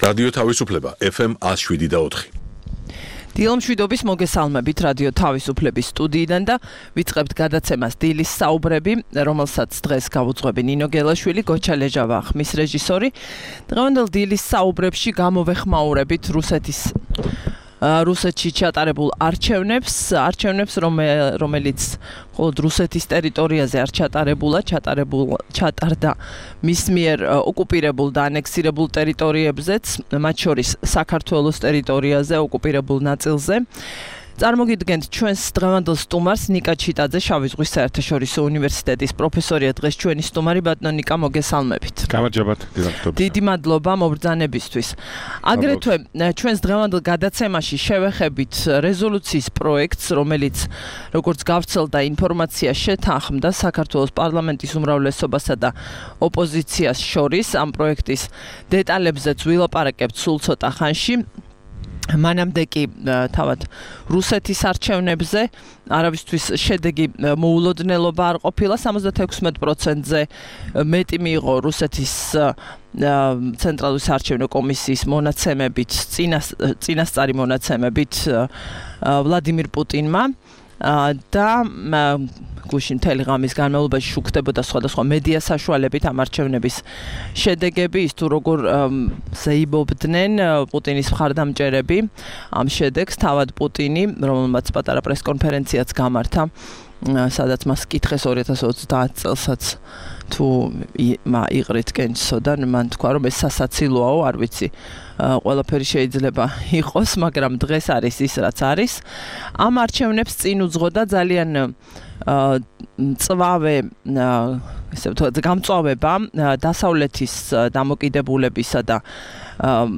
რადიო თავისუფლება FM 107.4. დილომშვიდობის მოგესალმებით რადიო თავისუფლების სტუდიიდან და ვიწყებთ გადაცემას დილის საუბრები, რომელსაც დღეს გავუძღვები ნინო გელაშვილი, გოჩა ლეჟავა ხმის რეჟისორი. დღევანდელ დილის საუბრებში გამოვეხმაურებით რუსეთში ჩატარებულ არჩევნებს, რომელიც მხოლოდ რუსეთის ტერიტორიაზე არ ჩატარდა მის მიერ ოკუპირებულ და ანექსირებულ ტერიტორიებზეც, მათ შორის საქართველოს ტერიტორიაზე, ოკუპირებულ ნაწილზე. წარმოგიდგენთ ჩვენს დღევანდელ სტუმარს ნიკა ჩიტაძე, შავი ზღვის საერთაშორისო უნივერსიტეტის პროფესორია, დღეს ჩვენი სტუმარი ბატონო ნიკა, მოგესალმებით. გამარჯობათ, დიდი მადლობა მობრძანებისთვის. აგრეთვე ჩვენს დღევანდელ გადაცემაში შევეხებით რეზოლუციის პროექტს, რომელიც როგორც გავცელდა ინფორმაცია შეთანხმდა საქართველოს პარლამენტის უმრავლესობასა და ოპოზიციას შორის. ამ პროექტის დეტალებზეც ვილაპარაკებთ სულ ცოტა ხანში. მანამდე კი თავად რუსეთის არჩევნებზე არავისთვის შედეგი მოულოდნელობა არ ყოფილა, 76%-ზე მეტი მიიღო რუსეთის ცენტრალური საარჩევნო კომისიის მონაცემებით, წინასწარი მონაცემებით ვლადიმირ პუტინმა და გუშინ მთელი ღამის განმავლობაში შუქდებოდა სხვადასხვა მედია საშუალებით ამ არჩევნების შედეგები, ის თუ როგორ ზეიმობდნენ პუტინის მხარდამჭერები ამ შედეგს, თავად პუტინი, რომელმაც პატარა პრესკონფერენციაც გამართა, სადაც მას კითხეს 2030 წელსაც თუ იყრით კენჭსოდან, მან თქვა, რომ ეს სასაცილოა, არ ვიცი, ყველაფერი შეიძლება იყოს, მაგრამ დღეს არის ის, რაც არის. ამ არჩევნებს წინ უძღოდა ძალიან გამწვავება დასავლეთის დამოკიდებულებისა და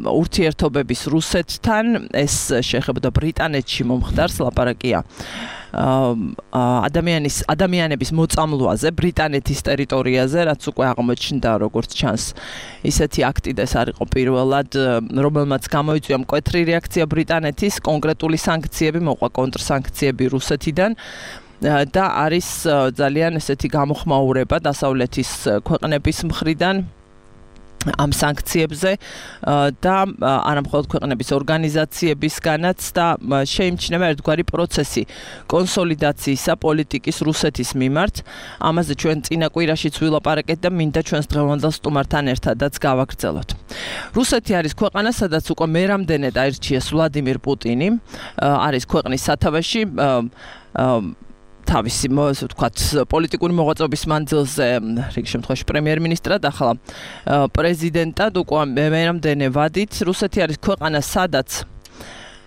ურთიერთობების რუსეთთან. ეს შეეხებოდა ბრიტანეთში მომხდარს, ლაპარაკია ადამიანების მოწამლვაზე ბრიტანეთის ტერიტორიაზე, რაც უკვე აღმოჩნდა, როგორც ჩანს, ისეთი აქტი და ეს არ იყო პირველად, რომელმაც გამოიწვია მკვეთრი რეაქცია ბრიტანეთის, კონკრეტული სანქციები, მოყვა კონტრსანქციები რუსეთიდან და არის ძალიან ესეთი გამოხმაურება დასავლეთის ქვეყნების მხრიდან ამ სანქციებზე და არა მხოლოდ ქვეყნების ორგანიზაციებისგანაც და შეიმჩნევა ერთგვარი პროცესი კონსოლიდაციისა პოლიტიკის რუსეთის მიმართ. ამაზე ჩვენ წინა კვირაშიც ვილაპარაკეთ და მინდა ჩვენს დღევანდელ სტუმართან ერთადაც გავაგრძელოთ. რუსეთი არის ქვეყანა, სადაც უკვე მერამდენედ აირჩიეს ვლადიმირ პუტინი, არის ქვეყნის სათავეში თავისი ვთქვათ პოლიტიკური მოღვაწეობის მანძილზე რიგ შემთხვევაში პრემიერ-მინისტრად, ახლა პრეზიდენტად უკვე მერამდენე ვადით. რუსეთი არის ქვეყანა,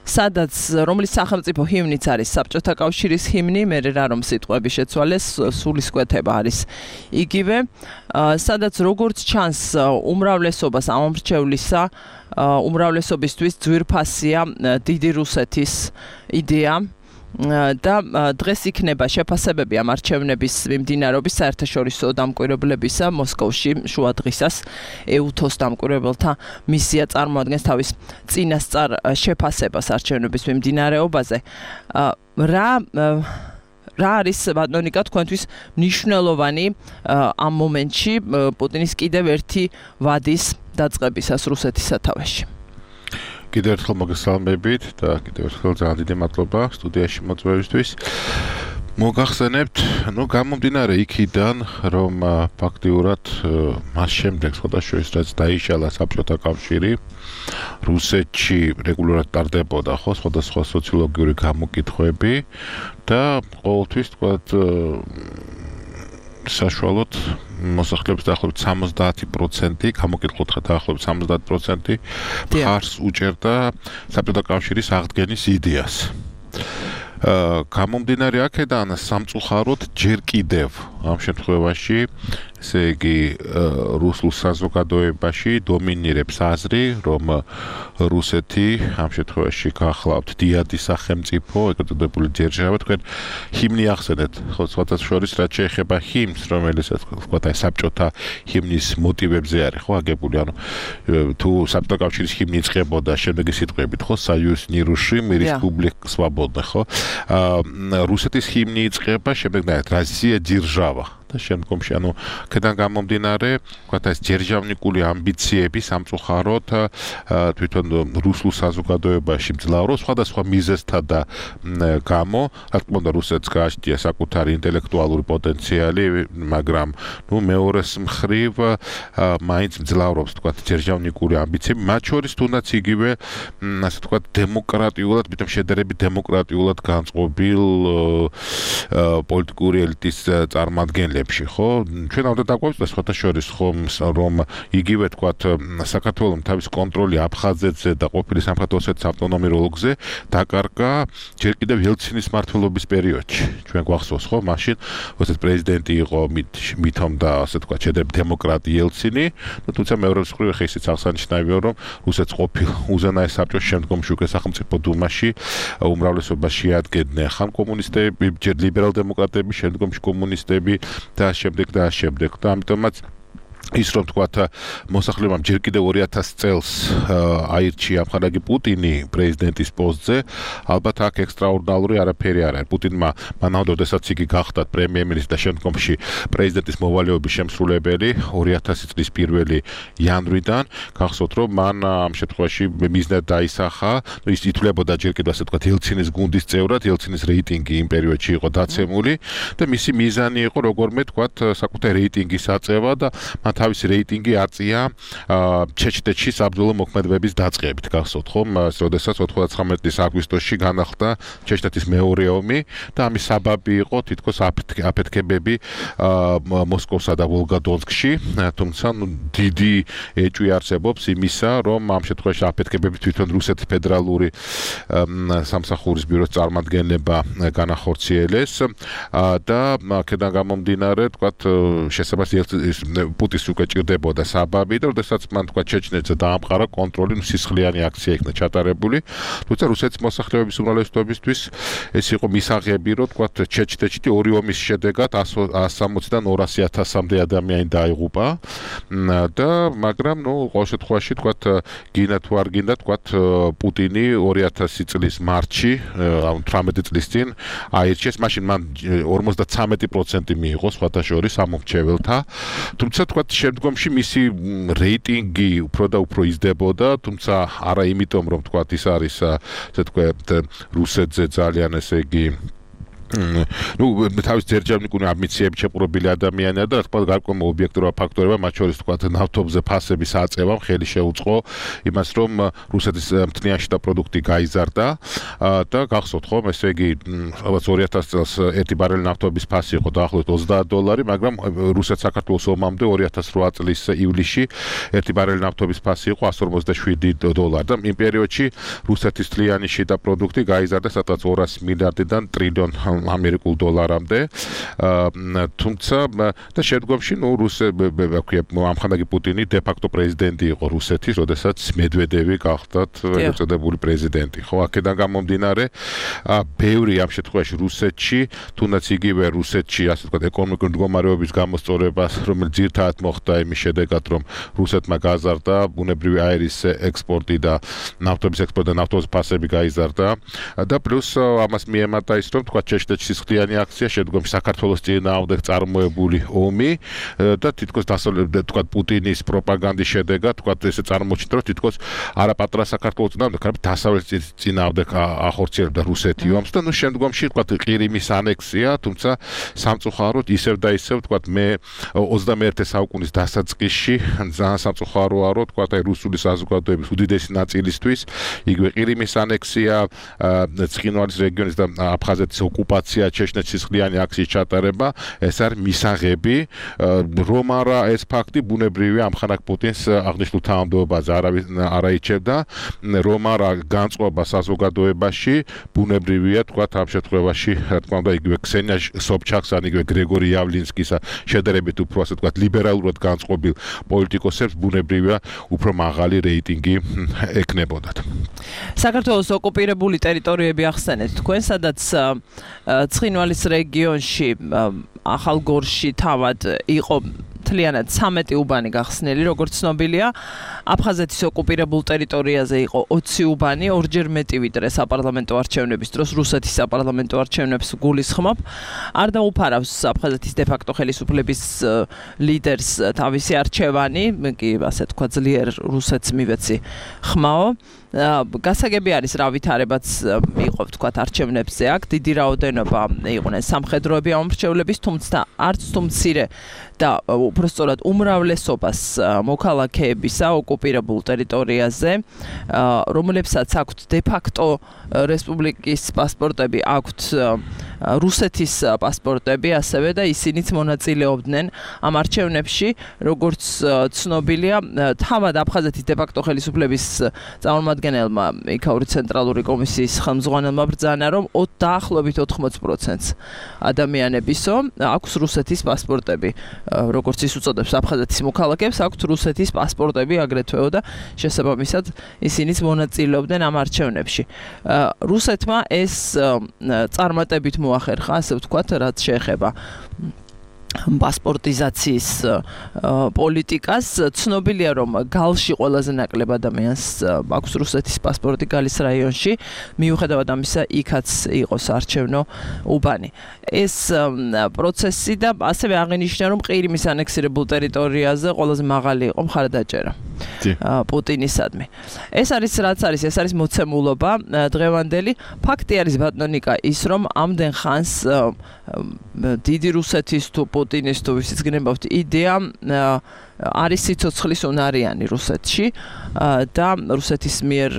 სადაც რომლის სახელმწიფო ჰიმნიც არის საბჭოთა კავშირის ჰიმნი, მე რა რომ სიტყვები შეცვალეს, სულისკვეთება არის იგივე, სადაც როგორც ჩანს უმრავლესობას ამომრჩევლისა, უმრავლესობისთვის ძვირფასია დიდი რუსეთის იდეა. და დღეს იქნება შეფასებები ამ არჩევნების მიმდინარეობის საერთაშორისო დამკვირვებლებისა მოსკოვში შუადღისას EUTOS დამკვირვებელთა მისია წარმოადგენს თავის წინასწარ შეფასებას არჩევნების მიმდინარეობაზე. რა არის ბატონო ნიკა თქვენთვის მნიშვნელოვანი ამ მომენტში პუტინის კიდევ ერთი ვადის დაწყებისას რუსეთის სათავეში? კიდევ ერთხელ მოგესალმებით და კიდევ ერთხელ ძალიან დიდი მადლობა სტუდიაში მოწვევისთვის. მოგახსენებთ, გამომდინარე იქიდან, რომ ფაქტიურად მას შემდეგ სხვადასხვა რაც დაიშალა საბჭოთა კავშირი, რუსეთში რეგულარულად ტარდებოდა სხვადასხვა სოციოლოგიური გამოკითხვები და ყოველთვის თქვათ საშუალოდ მოსახლეობის დაახლოებით 70% გამოკითხულთა დაახლოებით 70% მხარს უჭერდა საბჭოთა კავშირის აღდგენის იდეას. გამომდინარე აქედან სამწუხაროდ ჯერ კიდევ ამ შემთხვევაში, ესე იგი რუსულ საზოგადოებაში დომინირებს აზრი, რომ რუსეთი ამ შემთხვევაში გახლავთ დიადის სახელმწიფო, ეგრეთ წოდებული ძერჟავა, თქვენ ჰიმნი ახსენეთ, ხო, სხვათა შორის რაც შეეხება ჰიმნს, რომელიც ვთქვათ აი საბჭოთა ჰიმნის მოტივებზე არის, ხო, აგებული, ანუ თუ საბჭოთა კავშირის ჰიმნი იწყებოდა შემდეგი სიტყვებით, ხო, Союз нерушим, Республика свободных, ხო? რუსეთის ჰიმნი იწყება, შემდეგ Россия держава. და შემდგომში ანუ ქედან გამომდინარე, ვთქვათ ეს ჯერჟავნიკული ამბიციები სამწუხაროდ თვითონ რუსულ საზოგადოებაში მძლავრობს სხვადასხვა მიზეზთა და გამო, რა თქმა უნდა რუსეთს გააჩნია საკუთარი ინტელექტუალური პოტენციალი, მაგრამ მეორეს მხრივ მაინც მძლავრობს ვთქვათ ჯერჟავნიკული ამბიციები, მათ შორის თუნდაც იგივე ასე ვთქვათ დემოკრატიულად, მithom შედარებით დემოკრატიულად განწყობილ პოლიტიკური ელიტის წარმომადგენლებში, ხო? ჩვენ უნდა დაგვაუწყდეს სხვათა შორის რომ იგივე ვთქვათ საქართველოს თავის კონტროლი აფხაზეთზე და ყოფილი სამხრეთ ოსეთის ავტონომიურ ოლქზე დაკარგა ჯერ კიდევ ელცინის მმართველობის პერიოდში. ჩვენ გვახსოვს, ხო, მაშინ როდესაც პრეზიდენტი იყო მithom და ასე ვთქვათ შედარებით დემოკრატი ელცინი, თუმცა მეორე მხრივ ხე ისიც აღსანიშნავია, რომ რუსეთს ყოფილ უზენაეს საბჭოს შემდგომში უკვე სახელმწიფო დუმაში უმრავლესობა შეადგენდნენ ხან კომუნისტები, ჯერ ლიბერალ-დემოკრატები, შემდგომში კომუნისტები და შემდეგ და ამიტომაც ის რომ თქვათ მოსახლეობამ ჯერ კიდევ 2000 წელს აირჩია ამხანაგი პუტინი პრეზიდენტის პოსტზე, ალბათ აქ ექსტრაორდინალური არაფერი არ არის. პუტინმა მანამდე, როდესაც იგი გახდა პრემიერ-მინისტრი და შემდგომში პრეზიდენტის მოვალეობის შემსრულებელი 2000 წლის 1 იანვრიდან, გახსოვთ რომ მან ამ შემთხვევაში მიზნად დაისახა, ის ითვლებოდა ჯერ კიდევ ასე ვთქვათ ელცინის გუნდის წევრად, ელცინის რეიტინგი იმ პერიოდში იყო დაცემული და მისი მიზანი იყო როგორმე ვთქვათ საკუთარი რეიტინგის აწევა და თავისი რეიტინგი აწია ჩეჩნეთში საბრძოლო მოქმედებების დაწყებით, გახსოვთ ხომ, როდესაც 99 წლის აგვისტოში განახლდა ჩეჩნეთის მეორე ომი და ამის საბაბი იყო თითქოს აფეთქებები მოსკოვსა და ვოლგადონსკში, თუმცა დიდი ეჭვი არსებობს იმისა, რომ ამ შემთხვევაში აფეთქებები თვითონ რუსეთის ფედერალური სამსახურის ბიუროს წარმომადგენლება განახორციელეს და აქედან გამომდინარე, თქვათ, შესაძლოა პუტინს უკვე ჭირდებოდა საბაბი და როდესაც მან თქვა ჩეჩნეთზე დაამყარა კონტროლი, სისხლიანი აქცია იქნა ჩატარებული, თუმცა რუსეთის მოსახლეობის უმრავლესობისთვის ეს იყო მისაღები, რომ თქვა ჩეჩნეთში ორი ომის შედეგად 160-დან 200,000-მდე ადამიანი დაიღუპა და მაგრამ ყოველ შემთხვევაში თქვა გინდა თუ არ გინდა თქვა პუტინი 2000 წლის მარტში, 18 წლის წინ აირჩიეს, მაშინ მან 53% მიიღო სხვათა შორის ამომრჩეველთა, თუმცა თქვა შემდგომში მისი რეიტინგი უფრო და უფრო იზრდებოდა, თუმცა არა იმიტომ რომ თქვა ის არის ასე ვთქვათ რუსეთზე ძალიან ესე იგი თავის ჯერჯავნიკული ამბიციები შეპყრობილი ადამიანია და რა თქმა უნდა გარკვეული ობიექტურა ფაქტორებია, მათ შორის თქვათ ნავთობზე ფასების აწევამ ხელი შეუწყო იმას, რომ რუსეთის მთლიანი შიდა პროდუქტი გაიზარდა და გახსოვთ ხომ, ესე იგი ალბათ 2000 წელს ერთი ბარელი ნავთობის ფასი იყო დაახლოებით $30, მაგრამ რუსეთ-საქართველოს ომამდე 2008 წლის ივლისში ერთი ბარელი ნავთობის ფასი იყო $157 და იმ პერიოდში რუსეთის მთლიანი შიდა პროდუქტი გაიზარდა სადღაც 200 მილიარდიდან ტრილიონ ამერიკულ დოლარამდე, თუმცა და შემდგომში ამხანაგი პუტინი დე-ფაქტო პრეზიდენტი იყო რუსეთის, როდესაც მედვედევი გახდათ ეწოდებული პრეზიდენტი. ხო, აქედან გამომდინარე, ბევრი ამ შემთხვევაში რუსეთში, თუნდაც იგივე რუსეთში, ასე ვთქვათ, ეკონომიკური მდგომარეობის გამოსწორება, რომელიც ძირითადად მოხდა იმის შედეგად, რომ რუსეთმა გაზარდა ბუნებრივი აირის ექსპორტი და ნავთობის ექსპორტი და ნავთობის ფასები გაიზარდა და პლუს ამას მიემატა ის, რომ თქვათ ჩეჩნეთში სისხლიანი აქცია, შემდგომში საქართველოს წინააღმდეგ წარმოებული ომი და თითქოს თქვათ პუტინის პროპაგანდის შედეგად თქვათ ესე წარმოჩნდა, რომ თითქოს არაპატრა საქართველოს წინააღმდეგ, არამედ დასავლეთის წინააღმდეგ ახორციელებდა რუსეთი ომს და შემდგომში თქვათ ყირიმის ანექსია, თუმცა სამწუხაროდ ისევ და ისევ თქვათ მე 21 საუკუნის დასაწყისში ძალიან სამწუხაროა, რომ თქვათ აი რუსული საზოგადოების უდიდესი ნაწილისთვის იგივე ყირიმის ანექსია, ცხინვალის რეგიონის და აფხაზეთის ოკუპაცია, ჩეჩნეთის სისხლიანი აქციის ჩატარება, ეს არის მისაღები, რომ არა ეს ფაქტი ბუნებრივია ამხანაგ პუტინს აღნიშნულ თანამდებობაზე არაიჩებდა, რომ არა განწყობა საზოგადოებაში, ბუნებრივია თქვათ ამ შემთხვევაში, რა თქმა უნდა, იგივე ქსენია სობჩაკს ან იგივე გრეგორი იავლინსკის შედარებით უფრო ასე ვთქვათ ლიბერალურად განწყობილ პოლიტიკოსებს ბუნებრივია უფრო მაღალი რეიტინგი ექნებოდათ. საქართველოს ოკუპირებული ტერიტორიები ახსენეთ თქვენ, სადაც ცხინვალის რეგიონში, ახალგორში თავად იყო მთლიანად 13 უბანი გახსნილი, როგორც ცნობილია. აფხაზეთის ოკუპირებულ ტერიტორიაზე იყო 20 უბანი, ორჯერ მეტი ვიდრე საპარლამენტო არჩევნების დროს რუსეთის საპარლამენტო არჩევნებს გულისხმობ. არ დაუფარავს აფხაზეთის დე-ფაქტო ხელისუფლების ლიდერს თავისი არჩევანი, კი ასე თქვა ძლიერ რუსეთს მივეცი ხმაო. გასაგები არის რა ვითარებაც იყო ვთქვათ არჩევნებზე აქ დიდი რაოდენობა იყვნენ სამხედროები ამორჩევლების თუმცა არც თუ მცირე და უпростоრად უმრავლესობას მოქალაქეებისა ოკუპირებულ ტერიტორიაზე რომლებსაც აქვთ დე-ფაქტო რესპუბლიკის პასპორტები აქვთ რუსეთის პასპორტები ასევე და ისინიც მონაწილეობდნენ ამ არჩევნებში როგორც ცნობილია თავად აფხაზეთის დე-ფაქტო ხელისუფლების წარმომადგენელმა იქაური ცენტრალური კომისიის ხელმძღვანელმა ბრძანა რომ დაახლოებით 80%-ს ადამიანებისო აქვს რუსეთის პასპორტები როგორც ის უწოდებს აფხაზეთის მოქალაქეებს აქვთ რუსეთის პასპორტები აგრეთვეო და შესაბამისად ისინიც მონაწილეობდნენ ამ არჩევნებში რუსეთმა ეს წარმატებით მოახერხა ასე ვთქვათ რაც შეეხება პასპორტიზაციის პოლიტიკას ცნობილია რომ გალში ყველაზე ნაკლებ ადამიანს აქვს რუსეთის პასპორტი გალის რაიონში მიუხედავად ამისა იქაც იყო საარჩევნო უბანი ეს პროცესი და ასევე აღინიშნა რომ ყირიმის ანექსირებულ ტერიტორიაზე ყველაზე მაღალი იყო მხარდაჭერა პუტინისადმი ეს არის მოცემულობა დღევანდელი ფაქტი არის ბატონიკა ის რომ ამდენ ხანს დიდი რუსეთის თუ პუტინის თუ ვისიც გნებავთ იდეა არის სიცოცხლის უნარიანი რუსეთში და რუსეთის მიერ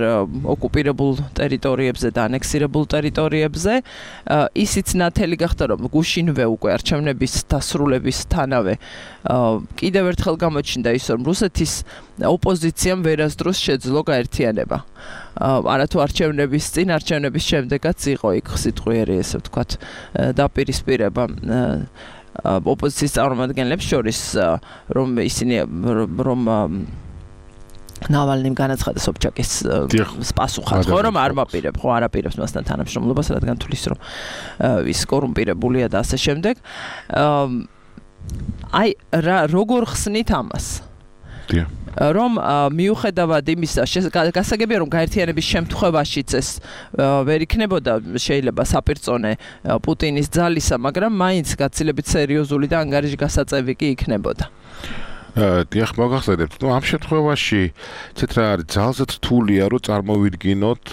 ოკუპირებულ ტერიტორიებზე და ანექსირებულ ტერიტორიებზე ისიც ნათელი გახდა რომ გუშინვე უკვე არჩევნების დასრულებისთანავე კიდევ ერთხელ გამოჩნდა ის რომ რუსეთის ოპოზიციამ ვერასდროს შეძლო გაერთიანება არათუ არჩევნების წინ არჩევნების შემდეგაც იყო იქ სიტყვიერი ესე ვთქვათ დაპირისპირება ოპოზიციის წარმომადგენლებს შორის რომ ისინი რომ ნავალნიმ განაცხადა სობჩაკის პასუხად ხო რომ არ მაპირებ ხო არ აპირებს მასთან თანამშრომლობას რადგან თulis რომ ის კორუმპირებულია და ასე შემდეგ აი როგორ ხსნით ამას რომ მიუხედავად იმისა გასაგებია რომ გაერთიანების შემთხვევაშიც ეს ვერ იქნებოდა შეიძლება საპირწონე პუტინის ძალისა მაგრამ მაინც გაცილებით სერიოზული და ანგარიშგასაწევი კი იქნებოდა დიახ მოგახსენებთ ამ შემთხვევაში ცეთ რა არის ძალზე რთულია რომ წარმოვიდგინოთ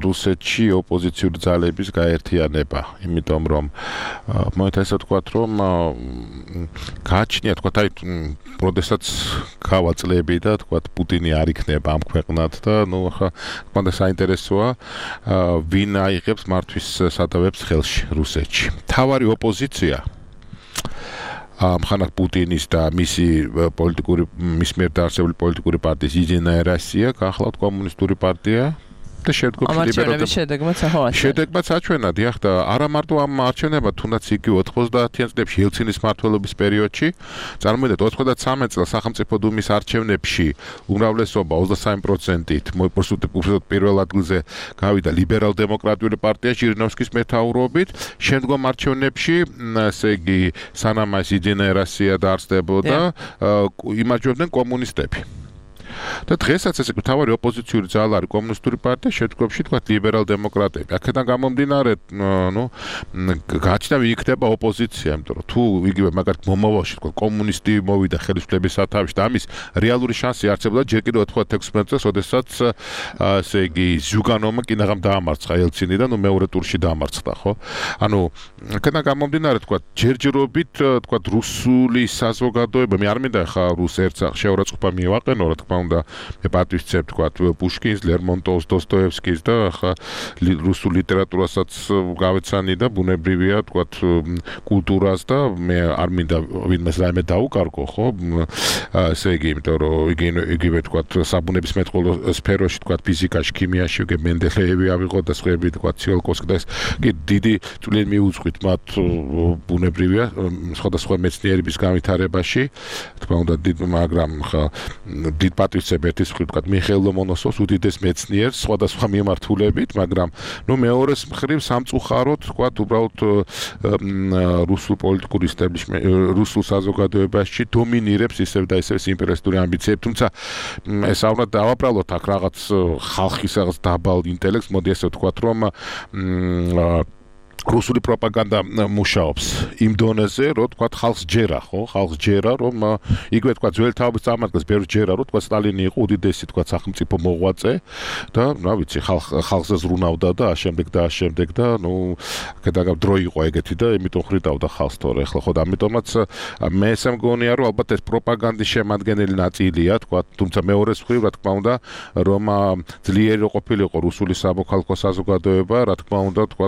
რუსეთში ოპოზიციური ძალების გაერთიანება იმიტომ რომ მოითა ესე ვთქვათ რომ გააჩნია თქვათ აი როდესაც გავაწლები და თქვათ პუტინი არ იქნება ამ ქვეყნად და ნუ ახლა მანდა საინტერესოა ვინ აიღებს მართვის სადავებს ხელში რუსეთში თავარი ოპოზიცია მხანად პუტინის და მისი მიერ დაარსებული პოლიტიკური პარტიის იძინა ერასია გახლავთ კომუნისტური პარტია და შედეგმაც აჩვენა დიახ და არა მარტო ამ არჩევნებად თუნდაც იგივე 90-იან წლებში ელცინის მმართველობის პერიოდში წარმოიდგინეთ 93 წელს სახელმწიფო დუმის არჩევნებში უმრავლესობა 23%-ით უბრალოდ პირველ ადგილზე გავიდა ლიბერალ-დემოკრატიული პარტია ჟირინოვსკის მეთაურობით შემდგომ არჩევნებში ესე იგი სანამ ეს იძინა ერასია დაარსდებოდა იმარჯვებდნენ კომუნისტები და დღესაც ესე თავარი ოპოზიციური ძალა არის კომუნისტური პარტია შემდგომში თქვა ლიბერალ-დემოკრატები აქედან გამომდინარე ნუ გაჩნდა ვინ იქნება ოპოზიცია იმიტომ რომ თუ იგივე მაგალითად მომავალში თქვა კომუნისტი მოვიდა ხელისუფლების სათავეში და ამის რეალური შანსი არსებობდა ჯერ კიდევ 96 წელს როდესაც ესე იგი ზუგანოვმა კინაღამ დაამარცხა ელცინი და ნუ მეორე ტურში დაამარცხდა ხო ანუ აქედან გამომდინარე თქვა ჯერჯერობით თქვა რუსული საზოგადოება მე არ მინდა ხა რუს ერთხელ შეურაცხყოფა მივაყენო რა თქმა უნდა მე პატივისცემ თქვა პუშკინს, ლერმონტოვს, დოსტოევსკის და ხა რუსულ ლიტერატურასაც გავეცანი და ბუნებრივია თქვა კულტურას და მე არ მინდა ვინმეს რაიმე დაუკარგო ხო ესე იგი იმიტომ რომ იგივე თქვა საბუნებისმეტყველო სფეროში თქვა ფიზიკაში, ქიმიაში უკვე მენდელეევი ავიღოთ და სხვაები თქვა ციოლკოვსკი და ეს კი დიდი წვლილი მიუძღვით მათ ბუნებრივია სხვადასხვა მეცნიერების განვითარებაში თქმა უნდა მაგრამ ხა დიდ მოვიქცევ ერთის მხრივ თქვა მიხეილ ლომონოსოვს უდიდეს მეცნიერს სხვადასხვა მიმართულებით, მაგრამ მეორეს მხრივ სამწუხაროდ თქვა უბრალოდ რუსულ პოლიტიკურ რუსულ საზოგადოებაში დომინირებს ისევ და ისევ იმპერიალისტური ამბიციები, თუმცა ეს აუბრალოდ დავაბრალოთ აქ რაღაც ხალხის რაღაც დაბალ ინტელექტს, მოდი ასე ვთქვათ, რომ რუსული პროპაგანდა მუშაობს იმ დონეზე, რომ თქვა ხალხს ჯერა, ხო? ხალხს ჯერა, რომ იგივე თქვა ძველი თაობის წარმართებს ბევრს ჯერა, რომ თქვა სტალინი იყო უდიდესი თქვა სახელმწიფო მოღვაწე და რა ვიცი, ხალხზე ზრუნავდა და ამავდროულად და კედაგა დრო იყო ეგეთი და იმიტომ ხრიდავდა ხალხს თორე ახლა ხო და ამიტომაც მე ესე მგონია, რომ ალბათ ეს პროპაგანდის შემადგენელი ნაწილია, თქვა, თუმცა მეორეს მხრივ რა თქმა უნდა, რომ ძლიერი ყოფილიყო რუსული სამოქალაქო საზოგადოება, რა თქმა უნდა, თქვა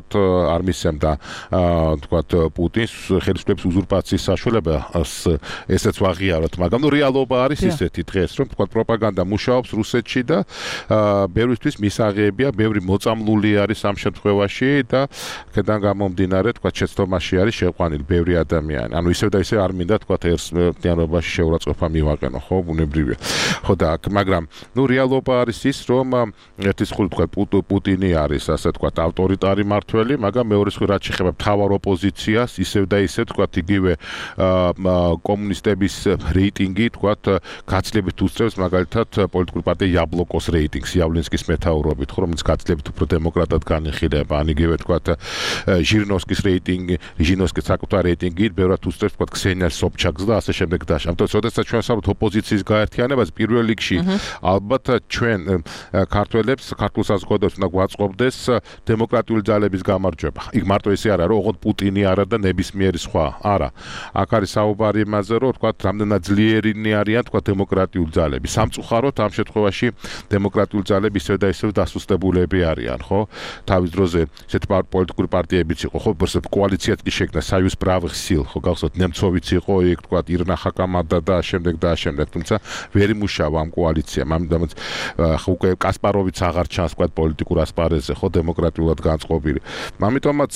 არ და თქვათ პუტინს ხელისუფლების უზურპაციის საშუალება ესეც ვაღიაროთ, მაგრამ რეალობა არის ისეთი დღეს, რომ თქვათ პროპაგანდა მუშაობს რუსეთში და ბევრისთვის მისაღებია, ბევრი მოწამლული არის ამ შემთხვევაში და აქედან გამომდინარე, თქვათ შეცდომაში არის შეყვანილი ბევრი ადამიანი. ანუ ისევ და ისევ არ მინდა თქვათ ერთიანობაში შეურაცხყოფა მივაყენო, ხო, ბუნებრივია. ხო და მაგრამ რეალობა არის ის, რომ ერთის მხრივ თქვათ პუტინი არის ასე თქვათ ავტორიტარი მმართველი, მაგრამ მეორე მხრივ რაც შეეხება მთავარ ოპოზიციას, ისევ და ისევ თქვათ იგივე კომუნისტების რეიტინგი თქვათ გაცილებით უსწრებს მაგალითად პოლიტიკური პარტია იაბლოკოს რეიტინგს იავლინსკის მეთაურობით, ხო, რომელიც გაცილებით უფრო დემოკრატად განიხილება, ან იგივე თქვათ ჟირინოვსკის რეიტინგი, ჟირინოვსკის საკუთარ რეიტინგი ბევრად უსწრებს თქვათ ქსენია სობჩაკს და ასე შემდეგ და ამიტომ შესაძლოა ჩვენ ვსაუბრობთ ოპოზიციის გაერთიანებას პირველ რიგში ალბათ ჩვენ ქართველებს, ქართულ საზოგადოებას უნდა გვაწყობდეს დემოკრატიული ძალების გამარჯვება. იქ მარტო ისე არა, რომ ოღონდ პუტინი არა და ნებისმიერი სხვა. არა. აქ არის საუბარი იმაზე, რომ თქვათ რამდენად ძლიერინი არიან თქვათ დემოკრატიული ძალები. სამწუხაროდ ამ შემთხვევაში დემოკრატიული ძალები ისევ და ისევ დასუსტებულები არიან, ხო? თავის დროზე ესეთ პოლიტიკური პარტიებიც იყო, ხო, კოალიციაც კი შექმნა საიუზ პრავых сил, ხო, გახსოვთ, ნემცოვიც იყო, იქ თქვათ ირნა ხაკამადა და შემდეგ, თუმცა ვერ იმუშავა ამ კოალიციამ. ამიტომაც უკვე კასპაროვიც აღარ ჩანს თქვათ პოლიტიკურ ასპარეზზე, ხო, დემოკრატიულად განწყობილი. ამიტომაც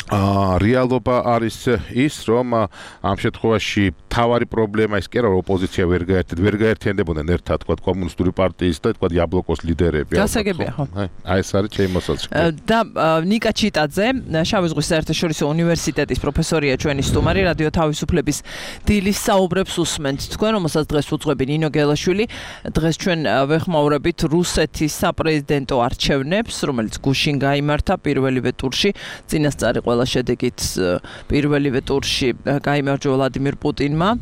რეალობა არის ის, რომ ამ შემთხვევაში თავარი პრობლემა ის კი არა, რომ ოპოზიცია ვერ გაერთიანდებოდნენ ერთად, თქვა კომუნისტური პარტიის და თქვა იაბლოკოს ლიდერები. გასაგებია, ხო? აი ეს არის ჩემი მოსაზრება. და ნიკა ჩიტაძე, შავი ზღვის საერთაშორისო უნივერსიტეტის პროფესორია ჩვენი სტუმარი, რადიო თავისუფლების დილის საუბრებს უსმენთ. თქვენ რომელსაც დღეს უძღვები ნინო გელაშვილი, დღეს ჩვენ ვეხმაურებით რუსეთის საპრეზიდენტო არჩევნებს, რომელიც გუშინ გაიმართა პირველივე ტურში, წინასწარი ყველა შედეგით პირველივე ტურში გაიმარჯვა ვლადიმირ პუტინმა.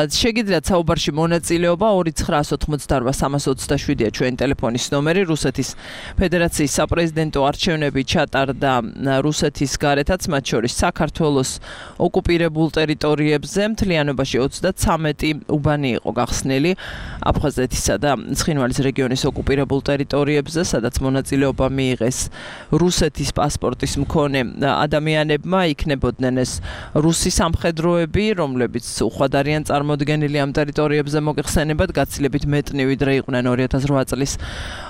შეგიძლიათ საუბარში მონაწილეობა 2988327-ია ჩვენი ტელეფონის ნომერი. რუსეთის ფედერაციის საპრეზიდენტო არჩევნები ჩატარდა რუსეთის გარეთაც, მათ შორის საქართველოს ოკუპირებულ ტერიტორიებზე. მთლიანობაში 33 უბანი იყო გახსნილი აფხაზეთისა და ცხინვალის რეგიონის ოკუპირებულ ტერიტორიებზე, სადაც მონაწილეობა მიიღეს რუსეთის პასპორტის მქონე ადამიანებმა. იქნებოდნენ ეს რუსი სამხედროები, რომლებიც უხვად არიან წარმოდგენილი ამ ტერიტორიებზე მოგეხსენებათ, გაცილებით მეტნი ვიდრე იყვნენ 2008 წლის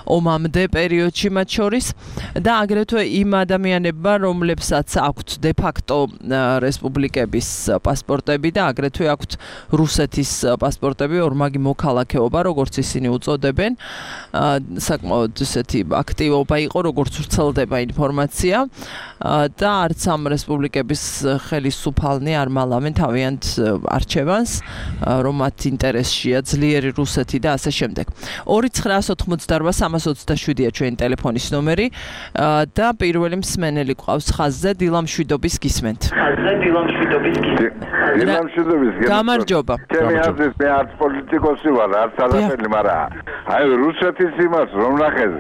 ომამდე პერიოდში მათ შორის და აგრეთვე იმ ადამიანებმა, რომლებსაც აქვთ დე-ფაქტო რესპუბლიკების პასპორტები და აგრეთვე აქვთ რუსეთის პასპორტები, ორმაგი მოქალაქეობა, როგორც ისინი უწოდებენ. საკმაოდ ესეთი აქტივობა იყო, როგორც ვრცელდება ინფორმაცია და არც ამ რესპუბლიკების ხელისუფალნი არ მალავენ თავიანთ არჩევანს, რომ მათ ინტერესშია ძლიერი რუსეთი და ასე შემდეგ. 2988327-ია ჩვენი ტელეფონის ნომერი და პირველი მსმენელი ყავს ხაზზე. დილამშვიდობის გისმენთ. გამარჯობა. ჩემი აზრით მე არც პოლიტიკოსი ვარ, არც არაფერი, მაგრამ აი რუსეთის იმას რომ ნახეთ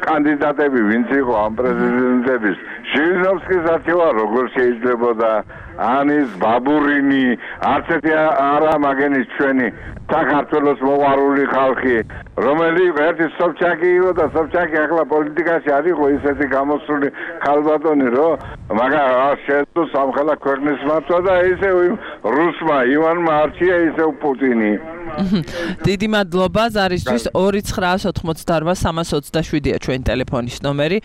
კანდიდატები ვინც იყო ამ პრეზიდენტების ჟირინოვსკის არჩევა როგორ შეიძლებოდა ანის ბაბურინი არც ერთი არა მაგენის ჩვენი საქართველოს მოყვარული ხალხი რომელიც ერთი სობჩაკი იყო და სობჩაკი ახლა პოლიტიკაში არ იყო ისეთი გამოსული ქალბატონი რომ მაგრამ შეძლო სამხელა ქვეყნის მართვა და ისე რუსმა ივანმა არჩია ისე პუტინი. დიდი მადლობა ზარისთვის. 2988327-ია ჩვენი ტელეფონის ნომერი.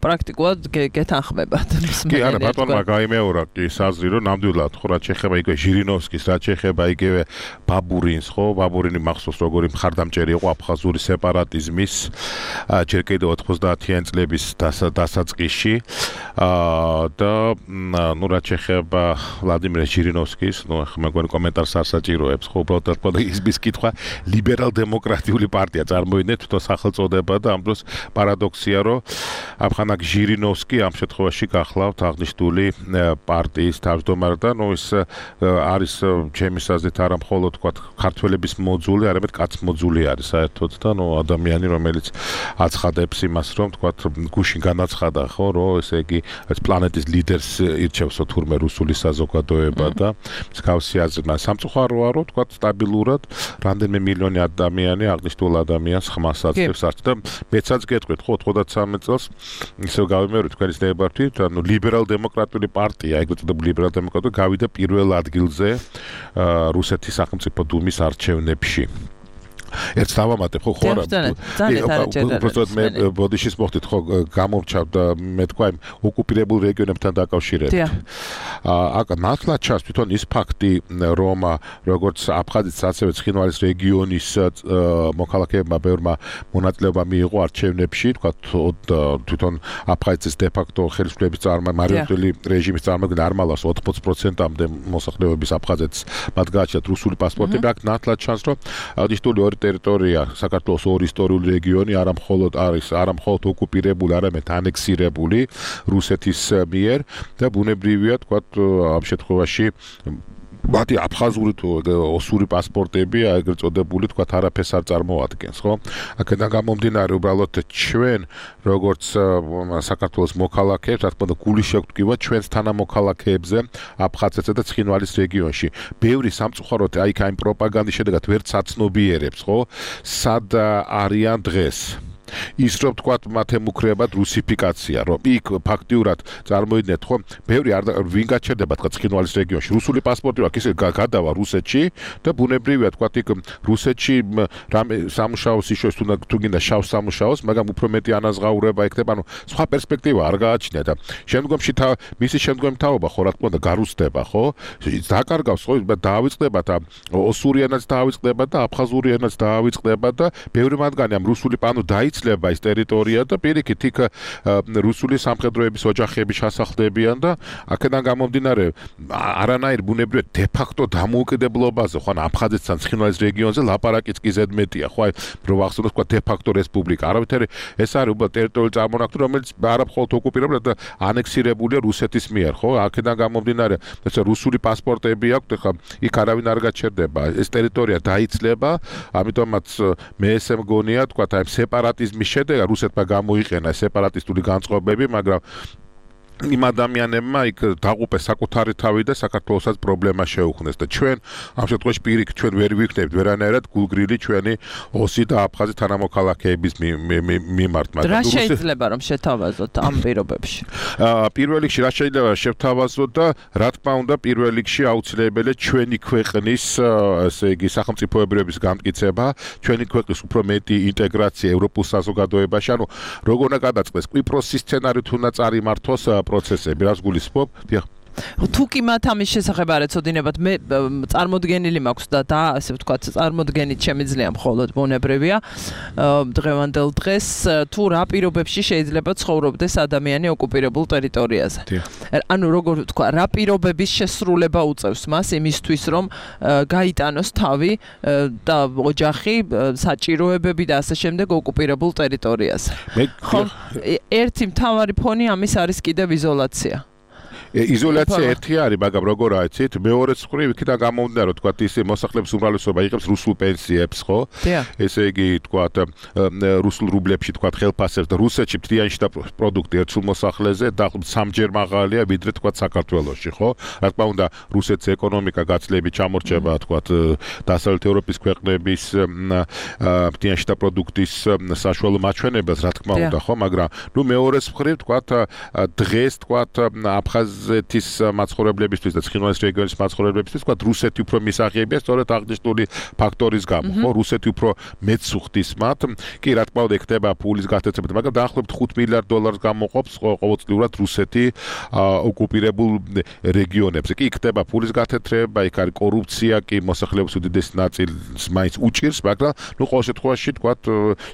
პრაქტიკულად გეთანხმებათ. კი არა, ბატონმა გაიმეორა, კი ვიტყვი საზრი, რომ ნამდვილად ხო რაც შეეხება იგივე ჟირინოვსკის, რაც შეეხება იგივე ბაბურინს, ხო, ბაბურინი მახსოვს როგორი მხარდამჭერი იყო აფხაზური სეპარატიზმის ჯერ კიდევ 90-იან წლების დასაწყისში და ნუ რაც შეეხება ვლადიმერ ჟირინოვსკის, ნუ მეგონი კომენტარს არ საჭიროებს, ხო, უბრალოდ ის კითხვა ლიბერალ-დემოკრატიული პარტია წარმოიდგინეთ თვითონ სახელწოდება და ამ დროს პარადოქსია, რომ ამხანაგ ჟირინოვსკი ამ შემთხვევაში გახლავთ აღნიშნული პარტიის თავმჯდომარე და ნუ ის არის ჩემის აზრით არა მხოლოდ თქვათ ქართველების მოძული, არამედ კაცმოძული არის საერთოდ და ნუ ადამიანი რომელიც აცხადებს იმას რომ თქვათ გუშინ განაცხადა ხო რომ ესე იგი პლანეტის ლიდერს ირჩევსო თურმე რუსული საზოგადოება და მსგავსი აზრი სამწუხაროა რომ თქვათ სტაბილურად რამდენიმე მილიონი ადამიანი აღნიშნულ ადამიანს ხმას აწევს არც და მეცაც გეტყვით ხო 93 წელს ისევ გავიმეორე თქვენის ნებართვით ანუ ლიბერალ-დემოკრატიული პარტია ეგრეთ წოდებული ლიბერალ-დემოკრატიული გავიდა პირველ ადგილზე რუსეთის სახელმწიფო დუმის არჩევნებში ერთ დავამატებ ხო არა უბრალოდ მე ბოდიშის მოხდით ხო გამომჩავდა მე თქვა იმ ოკუპირებულ რეგიონებთან დაკავშირებით აკ ნათლად ჩანს თვითონ ის ფაქტი რომ როგორც აფხაზეთის ასევე ცხინვალის რეგიონის მოქალაქეებმა ბევრმა მონაწილეობა მიიღო არჩევნებში თქვა თვითონ აფხაზეთის დე-ფაქტო ხელისუფლების მარიონეტული რეჟიმის წარმოადგენა არ მალავს 80%-მდე მოსახლეობის აფხაზეთს მათ გააჩნიათ რუსული პასპორტები აქ ნათლად ჩანს რომ აღნიშნული ტერიტორია საქართველოს ორი ისტორიული რეგიონი არა მხოლოდ ოკუპირებული, არამედ ანექსირებული რუსეთის მიერ და ბუნებრივია თქვათ ამ შემთხვევაში მათი აფხაზური თუ ოსური პასპორტები ეგრეთ წოდებული თქვათ არაფერს არ წარმოადგენს, ხო? აქედან გამომდინარე უბრალოდ ჩვენ როგორც საქართველოს მოქალაქეებს, რა თქმა უნდა, გული შევტკივათ ჩვენს თანამოქალაქეებზე აფხაზეთსა და ცხინვალის რეგიონში. ბევრი სამწუხაროდ აი ამ პროპაგანდის შედეგად ვერ საცნობიერებს, ხო? სად არიან დღეს. ის რომ თქვათ მათ ემუქრებათ რუსიფიკაცია, რომ იქ ფაქტიურად წარმოიდგინეთ, ხო, ბევრი ვინ გაჩერდება თქვათ ცხინვალის რეგიონში, რუსული პასპორტი აქვს, ისე გადავა რუსეთში და ბუნებრივია თქვათ იქ რუსეთში რამე სამუშაოს იშოს თუ გინდა შავ სამუშაოს, მაგრამ უფრო მეტი ანაზღაურება იქნება, ანუ სხვა პერსპექტივა არ გააჩნია და შემდგომში მისი შემდგომი თაობა ხო რა თქმა უნდა გარუსდება, ხო? დაკარგავს ხო დაავიწყდება და ოსური ენაც დაავიწყდება და აფხაზური ენაც დაავიწყდება და ბევრი მათგანი ამ რუსული პანო დაიცლება ის ტერიტორია და პირიქით იქ რუსული სამხედროების ოჯახები ჩასახლდებიან და აქედან გამომდინარე არანაირ ბუნებრივად დე-ფაქტო დამოუკიდებლობაზე ხო ან აფხაზეთთან ცხინვალის რეგიონზე ლაპარაკიც კი ზედმეტია ხო აი რო ვახსოვოთ თქვა დე-ფაქტო რესპუბლიკა არავითარი ეს არის უბრალოდ ტერიტორიული წარმონაქმნი რომელიც არა მხოლოდ ოკუპირებული და ანექსირებულია რუსეთის მიერ ხო აქედან გამომდინარე ეს რუსული პასპორტები აქვს ხა იქ არავინ არ გაჩერდება ეს ტერიტორია დაიცლება ამიტომაც მე ესე მგონია თქვა აი სეპარატიზმის შედეგად რუსეთმა გამოიყენა სეპარატისტული განწყობები მაგრამ იმ ადამიანებმა იქ დაღუპეს საკუთარი თავი და საქართველოსაც პრობლემა შეუქმნეს და ჩვენ ამ შემთხვევაში პირიქით ჩვენ ვერ ვიქნებით ვერანაირად გულგრილი ჩვენი ოსი და აფხაზი თანამოქალაქეების მიმართ მაგრამ რა შეიძლება რომ შეთავაზოთ ამ პირობებში პირველ რიგში რა შეიძლება შევთავაზოთ და რა თქმა უნდა პირველ რიგში აუცილებელია ჩვენი ქვეყნის ესე იგი სახელმწიფოებრიობის გამტკიცება ჩვენი ქვეყნის უფრო მეტი ინტეგრაცია ევროპულ საზოგადოებაში ანუ როგორ უნდა გადაწყდეს კვიპროსის სცენარით უნდა წარიმართოს პროცესები რას გულისხმობ? დიახ. თუ კი მათ ამის შესახებ არ ეცოდინებათ, მე წარმოდგენილი მაქვს და ასე ვთქვათ, წარმოდგენით შემიძლია მხოლოდ ბუნებრივია დღევანდელ დღეს თუ რა პირობებში შეიძლება ცხოვრობდეს ადამიანი ოკუპირებულ ტერიტორიაზე. ანუ როგორ ვთქვა, რა პირობების შესრულება უწევს მას იმისთვის, რომ გაიტანოს თავი და ოჯახი, საჭიროებები და ასე შემდეგ ოკუპირებულ ტერიტორიაზე. ხო, ერთი მთავარი ფონი ამის არის კიდევ იზოლაცია. იზოლაცია ერთი არის, მაგრამ როგორ აიცით, მეორე მხრივ იქიდან გამომდინარე, რომ თქვათ ის მოსახლეობის უმრავლესობა იღებს რუსულ პენსიებს, ხო? ესე იგი, თქვათ, რუსულ რუბლებში, თქვათ, ხელფასებს და რუსეთში მთლიანი შტაბ პროდუქტი ერთ სულ მოსახლეზე დაახლოებით 3-ჯერ მაღალია, ვიდრე თქვათ საქართველოში, ხო? რა თქმა უნდა, რუსეთის ეკონომიკა გაცილებით ჩამორჩება, თქვათ, დასავლეთ ევროპის ქვეყნების მთლიანი შტაბ პროდუქტის საშუალო მაჩვენებელს, რა თქმა უნდა, ხო? მაგრამ ნუ მეორე მხრივ, თქვათ, დღეს, თქვათ, აფხაზ აფხაზეთის მაცხოვრებლებისთვის და ცხინვალის რეგიონის მაცხოვრებლებისთვის თქვა რუსეთი უფრო მისაღებია სწორედ აღნიშნული ფაქტორის გამო ხო რუსეთი უფრო მეც უხდის მათ კი რა თქმა უნდა ხდება ფულის გათეთრება მაგრამ დაახლოებით $5 მილიარდ გამოყოფს ყოველწლიურად რუსეთი ოკუპირებულ რეგიონებზე კი ხდება ფულის გათეთრება იქ არის კორუფცია კი მოსახლეობის უდიდესი ნაწილს მაინც უჭირს მაგრამ ნუ ყოველ შემთხვევაში თქვა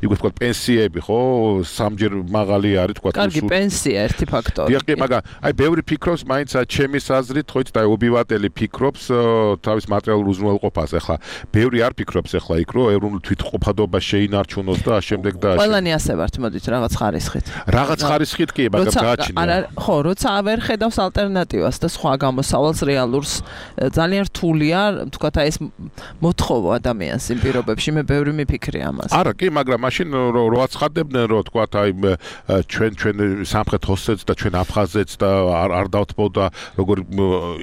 იგივე თქვა პენსიები ხო სამჯერ მაღალი არის თქვა კარგი პენსია ერთი ფაქტორი კი მაგრამ აი ბევრი ფიქრობს მაინც ჩემის აზრით ხო იცით აი ობივატელი ფიქრობს თავის მატერიალურ უზრუნველყოფას ახლა ბევრი არ ფიქრობს ახლა იქ რომ ეროვნული თვითმყოფადობა შეინარჩუნოს და შემდეგ და ყველანი ასე ვართ მოდით რაღაც ხარისხით რაღაც ხარისხით კი მაგრამ გააჩნია არა ხო როცა ვერ ხედავს ალტერნატივას და სხვა გამოსავალს რეალურს ძალიან რთულია თქვა აი ეს მოთხოვა ადამიანს იმ პირობებში მე ბევრი მიფიქრე ამას არა კი მაგრამ მაშინ რო აცხადებდნენ რომ თქვა აი ჩვენ სამხრეთ ოსეთს და ჩვენ აფხაზეთს და არ დავთმოდა როგორი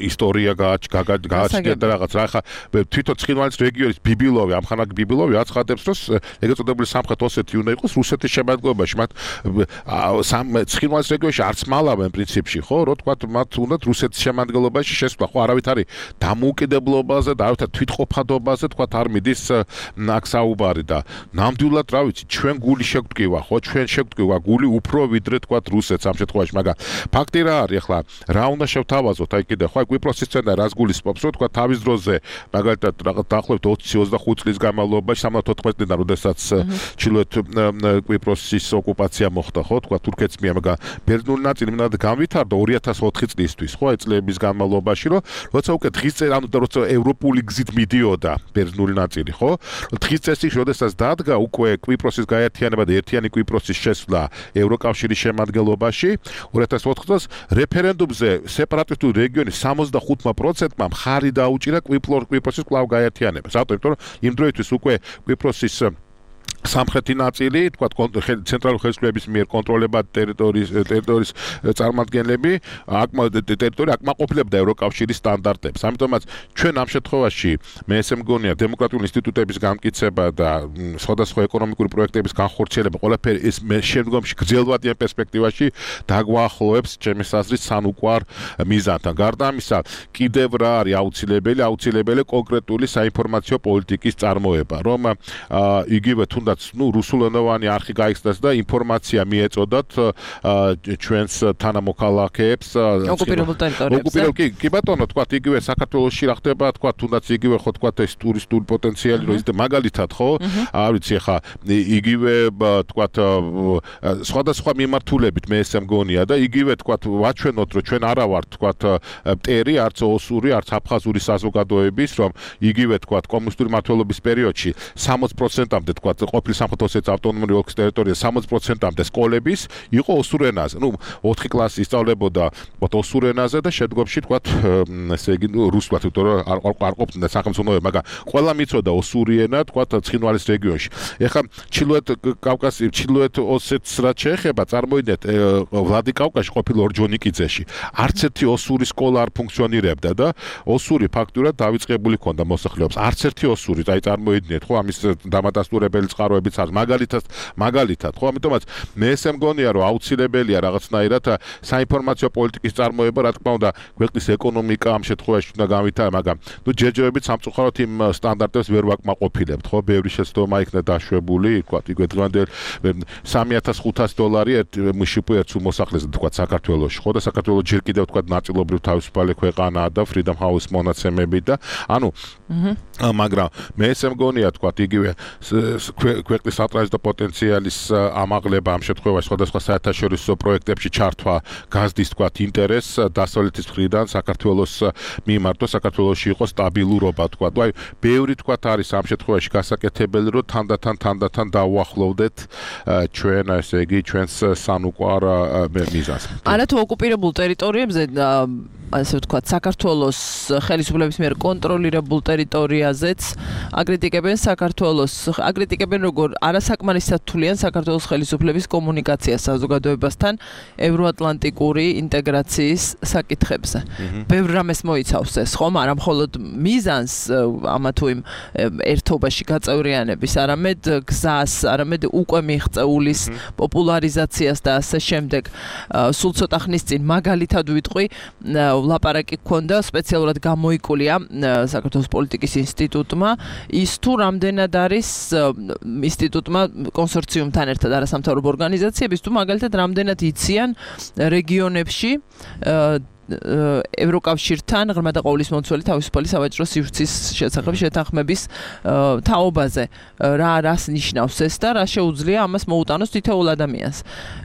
ისტორია გააჩნია და რაღაც რა ხა თვითონ ცხინვალის რეგიონის ბიბილოვი ამხანაგ ბიბილოვი აცხადებს რომ ეგრეთ წოდებული სამხრეთ ოსეთი უნდა იყოს რუსეთის შემადგენლობაში მათ ცხინვალის რეგიონში არც მალავენ პრინციპში ხო რო თქვა მათ უნდათ რუსეთის შემადგენლობაში შესვლა ხო არავით არის დამოუკიდებლობაზე და არავით თვითყოფადობაზე თქვა არ მიდის აქ საუბარი და ნამდვილად რა ვიცი ჩვენ გული შეგვტკივა ხო ჩვენ შეგვტკივა გული უფრო ვიდრე თქვა რუსეთს ამ შემთხვევაში მაგრამ ფაქტი რა არის ახლა რა უნდა შევთავაზოთ აი კიდე ხო კვიპროსის სცენა რას გულისხმობს რომ თქვა თავის დროზე მაგალითად რაღაც დაახლოებით 20-25 წლის განმავლობაში 74 წლიდან როდესაც ჩრდილოეთ კვიპროსის ოკუპაცია მოხდა ხო თქვა თურქეთს მიერ მაგრამ ბერძნული ნაწილი მინდა განვითარდა 2004 წლისთვის ხო აი წლების განმავლობაში რომ როცა უკვე დღის წესრიგი ანუ როცა ევროპული გზით მიდიოდა ბერძნული ნაწილი ხო დღის წესრიგი როდესაც დადგა უკვე კვიპროსის გაერთიანება და ერთიანი კვიპროსის შესვლა ევროკავშირის შემადგენლობაში 2004 წელს რეფერენდუმზე სეპარატისტული რეგიონის 65%-მა მხარი დაუჭირა კვიპროსის კვლავ გაერთიანებას. რატო? იმიტომ რომ იმ დროისთვის უკვე კვიპროსის სამხრეთი ნაწილი, თქვა ცენტრალური ხელისუფლების მიერ კონტროლებად ტერიტორიის წარმომადგენლები ტერიტორია აკმაყოფილებდა ევროკავშირის სტანდარტებს. ამიტომაც ჩვენ ამ შემთხვევაში მე ესე მგონია დემოკრატიული ინსტიტუტების გამკიცება და სხვადასხვა ეკონომიკური პროექტების განხორციელება ყველაფერი ეს შემდგომში გრძელვადიან პერსპექტივაში დაგვაახლოვებს ჩემს აზრით სანუკვარ მიზანთან. გარდა ამისა, კიდევ რა არის აუცილებელი კონკრეტული საინფორმაციო პოლიტიკის წარმოება, რომ იგივე თუნდაც რუსულენოვანი არხი გაიხსნას და ინფორმაცია მიეწოდათ ჩვენს თანამოქალაქეებს ოკუპირებულ ტერიტორიებზე. კი ბატონო, თქვა იგივე საქართველოში რა ხდება, თქვა თუნდაც იგივე ხო თქვა ეს ტურისტული პოტენციალი რომ ის და მაგალითად ხო, არ ვიცი ხა იგივე თქვა სხვადასხვა მიმართულებით მე ესე მგონია და იგივე თქვა ვაჩვენოთ რომ ჩვენ არა ვართ თქვა მტერი, არც ოსური, არც აფხაზური საზოგადოების, რომ იგივე თქვა კომუნისტური მმართველობის პერიოდში 60%-მდე თქვა ყოფილი სამხრეთ ოსეთის ავტონომიური ოლქის ტერიტორია 60%-მდე სკოლების იყო ოსურ ენაზე. ნუ 4 კლასი ისწავლებოდა ოსურ ენაზე და შემდგომში თქვა ესე იგი რუსულად, იმიტომ რომ არ ყოფნა სახელმწიფო, მაგრამ ყველა მიცოდა osuri ენა თქვა ცხინვალის რეგიონში. ეხლა ჩრდილოეთ ოსეთს რაც შეეხება, წარმოიდგინეთ ვლადიკავკაზში ყოფილ ორჯონიკიძეში. არც ერთი osuri სკოლა არ ფუნქციონირებდა და osuri ფაქტურად დავიწყებული ქონდა მოსახლეობას. არც ერთი osuri, აი წარმოიდგინეთ ხო ამის დამადასტურებელი წყაროებიც არის მაგალითად ხო ამიტომაც მე ესე მგონია რომ აუცილებელია რაღაცნაირად საინფორმაციო პოლიტიკის წარმოება რა თქმა უნდა ქვეყნის ეკონომიკა ამ შემთხვევაში უნდა გამვითარა მაგრამ ნუ ჯერჯერობით სამწუხაროდ იმ სტანდარტებს ვერ ვაკმაყოფილებთ ხო ბევრი შეცდომა იქნა დაშვებული თქვა იგივე დღევანდელ $3,500 ერთ მშპ ერთ მოსახლეზე თქვა საქართველოში ხო და საქართველოს ჯერ კიდევ თქვა ნაწილობრივ თავისუფალი ქვეყანაა და Freedom House მონაცემები და ანუ მაგრამ მე ესე მგონია თქვა იგივე ქვეყნის სატრანზიტო პოტენციალის ამაღლება ამ შემთხვევაში სხვადასხვა საერთაშორისო პროექტებში ჩართვა გაზდის თქვა ინტერესს დასავლეთის მხრიდან საქართველოს მიმართოს საქართველოში იყოს სტაბილურობა თქვა და აი ბევრი თქვა არის ამ შემთხვევაში გასაკეთებელი რომ თანდათან დავუახლოვდეთ ჩვენ ესე იგი ჩვენს სანუკვარ მიზანს. არა თუ ოკუპირებულ ტერიტორიებზე ასე ვთქვათ, საქართველოს ხელისუფლების მიერ კონტროლირებულ ტერიტორიაზეც აკრიტიკებენ აკრიტიკებენ როგორ არასაკმარისად თვლიან საქართველოს ხელისუფლების კომუნიკაციას საზოგადოებასთან ევროატლანტიკური ინტეგრაციის საკითხებზე. ბევრ რამეს მოიცავს ეს, ხომ? არა მხოლოდ მიზანს ამა თუ იმ ერთობაში გაწევრიანების, არამედ გზას, არამედ უკვე მიღწეულის პოპულარიზაციას და ასე შემდეგ. სულ ცოტა ხნის წინ მაგალითად ვიტყვი, ლაპარაკი გქონდა, სპეციალურად გამოიკულია საქართველოს პოლიტიკის ინსტიტუტმა, ის თუ რამდენად არის ინსტიტუტმა კონსორციუმთან ერთად არასამთავრობო ორგანიზაციების თუ მაგალითად რამდენად იციან რეგიონებში ევროკავშირთან ღრმა და ყოვლის მომცველი თავისუფალი სავაჭრო სივრცის შესახებ შეთანხმების თაობაზე. რას ნიშნავს ეს და რა შეუძლია ამას მოუტანოს თითოეულ ადამიანს.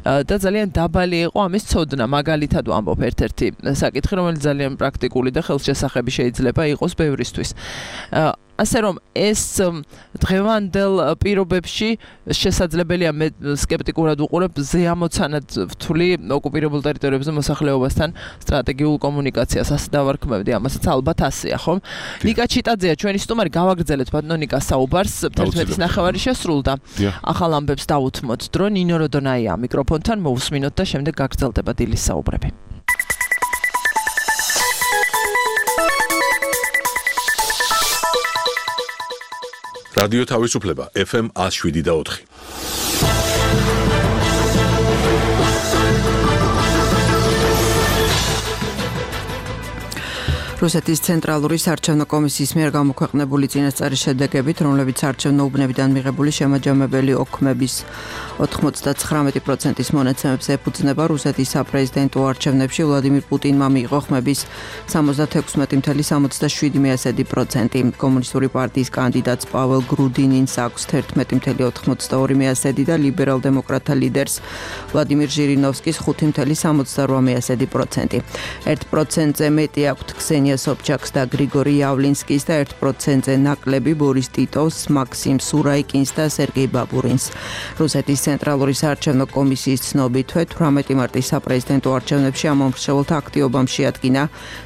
და ძალიან დაბალი იყო ამის ცოდნა. მაგალითად ვამბობ ერთ-ერთი საკითხი, რომელიც ძალიან პრაქტიკული და ხელშესახები შეიძლება იყოს ბევრისთვის. ასე რომ ეს დღევანდელ პირობებში შესაძლებელია მე სკეპტიკურად ვუყურებ ზეამოცანად ვთვლი ოკუპირებულ ტერიტორიებზე მოსახლეობასთან სტრატეგიულ კომუნიკაციას. ასე დავარქმევდი ამასაც ალბათ ასეა, ხომ? ნიკა ჩიტაძეა ჩვენი სტუმარი, გავაგრძელეთ ბატონო ნიკას საუბარს. 11:09 შესრულდა. ახალ ამბებს დავუთმოთ დრო. ნინო როდონაია მიკროფონთან მოусმინოთ და შემდეგ გაგრძელდება დილის საუბრები. რადიო თავისუფლება FM 107.4. რუსეთის ცენტრალური საარჩევნო კომისიის მიერ გამოქვეყნებული წინასწარი შედეგებით, რომლებიც საარჩევნო უბნებიდან მიღებული შემაჯამებელი ოქმების 99%-ის მონაცემებს ეფუძნება, რუსეთის საპრეზიდენტო არჩევნებში ვლადიმირ პუტინმა მიიღო ხმების 76.77%. კომუნისტური პარტიის კანდიდატს პაվել გრუდინინს აქვს 11.82% და ლიბერალ-დემოკრატთა ლიდერს ვლადიმირ ჟირინოვსკის 5.78%. 1%-ზე მეტი აქვთ ქსენია სობჩაკს და გრიგორი იავლინსკის და 1%-ზე ნაკლები ბორის ტიტოვს, მაქსიმ სურაიკინს და სერგეი ბაბურინს. რუსეთის ცენტრალური საარჩევნო კომისიის ცნობითვე 18 მარტის საპრეზიდენტო არჩევნებში ამ მომხრეებელთა აქტივობამ შეადგინა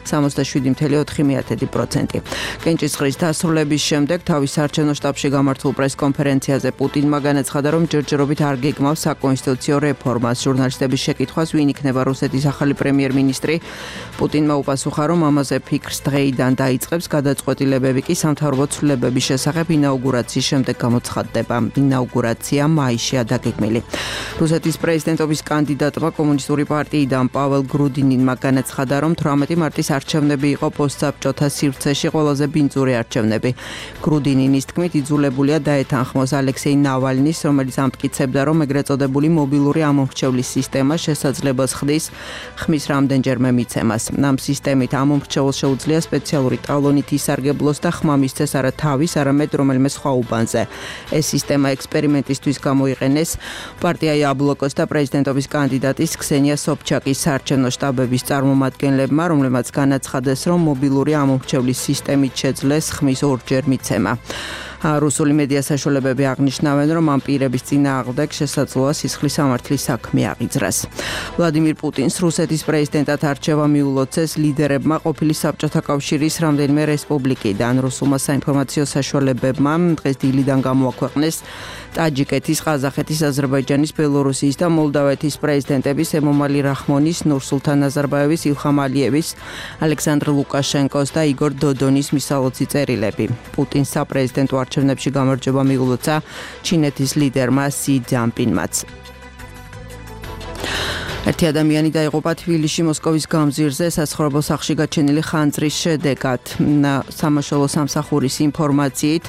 67.4%. კენჭისყრის დასრულების შემდეგ თავის საარჩევნო შტაბში გამართულ პრესკონფერენციაზე პუტინმა განაცხადა, რომ ჯერჯერობით არ გეგმავს საკონსტიტუციო რეფორმას. ჟურნალისტების შეკითხვას, ვინ იქნება რუსეთის ახალი პრემიერ-მინისტრი, პუტინმა უპასუხა, რომ ამაზე ფიქრს დღეიდან დაიწყებს, გადაწყვეტილებები კი სამთავრობო ცვლილებების შესახებ ინაუგურაციის შემდეგ გამოცხადდება. ინაუგურაცია მაისშია დაგეგმილი. რუსეთის პრეზიდენტობის კანდიდატმა კომუნისტური პარტიიდან პაվել გრუდინინმა განაცხადა, რომ 18 მარტის არჩევნები იყო პოსტსაბჭოთა სივრცეში ყველაზე ბინძური არჩევნები. გრუდინინის თქმით, იძულებულია დაეთანხმოს ალექსეი ნავალნის, რომელიც ამტკიცებდა, რომ ეგრეთ წოდებული მობილური ამომრჩევლის სისტემა შესაძლებას ხდის ხმის რამდენჯერმე მიცემას. ამ სისტემით ამომრჩეველს შეუძლია სპეციალური ტალონით ისარგებლოს და ხმა მისცეს არა თავის, არამედ რომელიმე სხვა უბანზე. ეს სისტემა ექსპერიმენტისთვის გამოიყენეს პარტია იაბლოკოს და პრეზიდენტობის კანდიდატის ქსენია სობჩაკის საარჩევნო შტაბების წარმომადგენლებმა, რომლებმაც განაცხადეს, რომ მობილური ამომრჩევლის სისტემით შეძლეს ხმის ორჯერ მიცემა. რუსული მედია საშუალებები აღნიშნავენ, რომ ამ პირების წინააღმდეგ შესაძლოა სისხლის სამართლის საქმე აღიძრას. ვლადიმირ პუტინს რუსეთის პრეზიდენტად არჩევა მიულოცეს ლიდერებმა ყოფილი საბჭოთა კავშირის რამდენიმე რესპუბლიკიდან. რუსულმა საინფორმაციო საშუალებებმა დღეს დილიდან გამოაქვეყნეს ტაჯიკეთის, ყაზახეთის, აზერბაიჯანის, ბელორუსიის და მოლდავეთის პრეზიდენტების ემომალი რახმონის, ნურსულთან ნაზარბაევის, ილხამ ალიევის, ალექსანდრ ლუკაშენკოს და იგორ დოდონის მისალოცი წერილები. პუტინს საპრეზიდენტო არჩევნებში გამარჯვება მიულოცა ჩინეთის ლიდერმა სი ძინპინმაც. ერთი ადამიანი დაიღუპა თბილისში მოსკოვის გამზირზე სასაცხოვრებელ სახლში გაჩენილი ხანძრის შედეგად. სამაშველო სამსახურის ინფორმაციით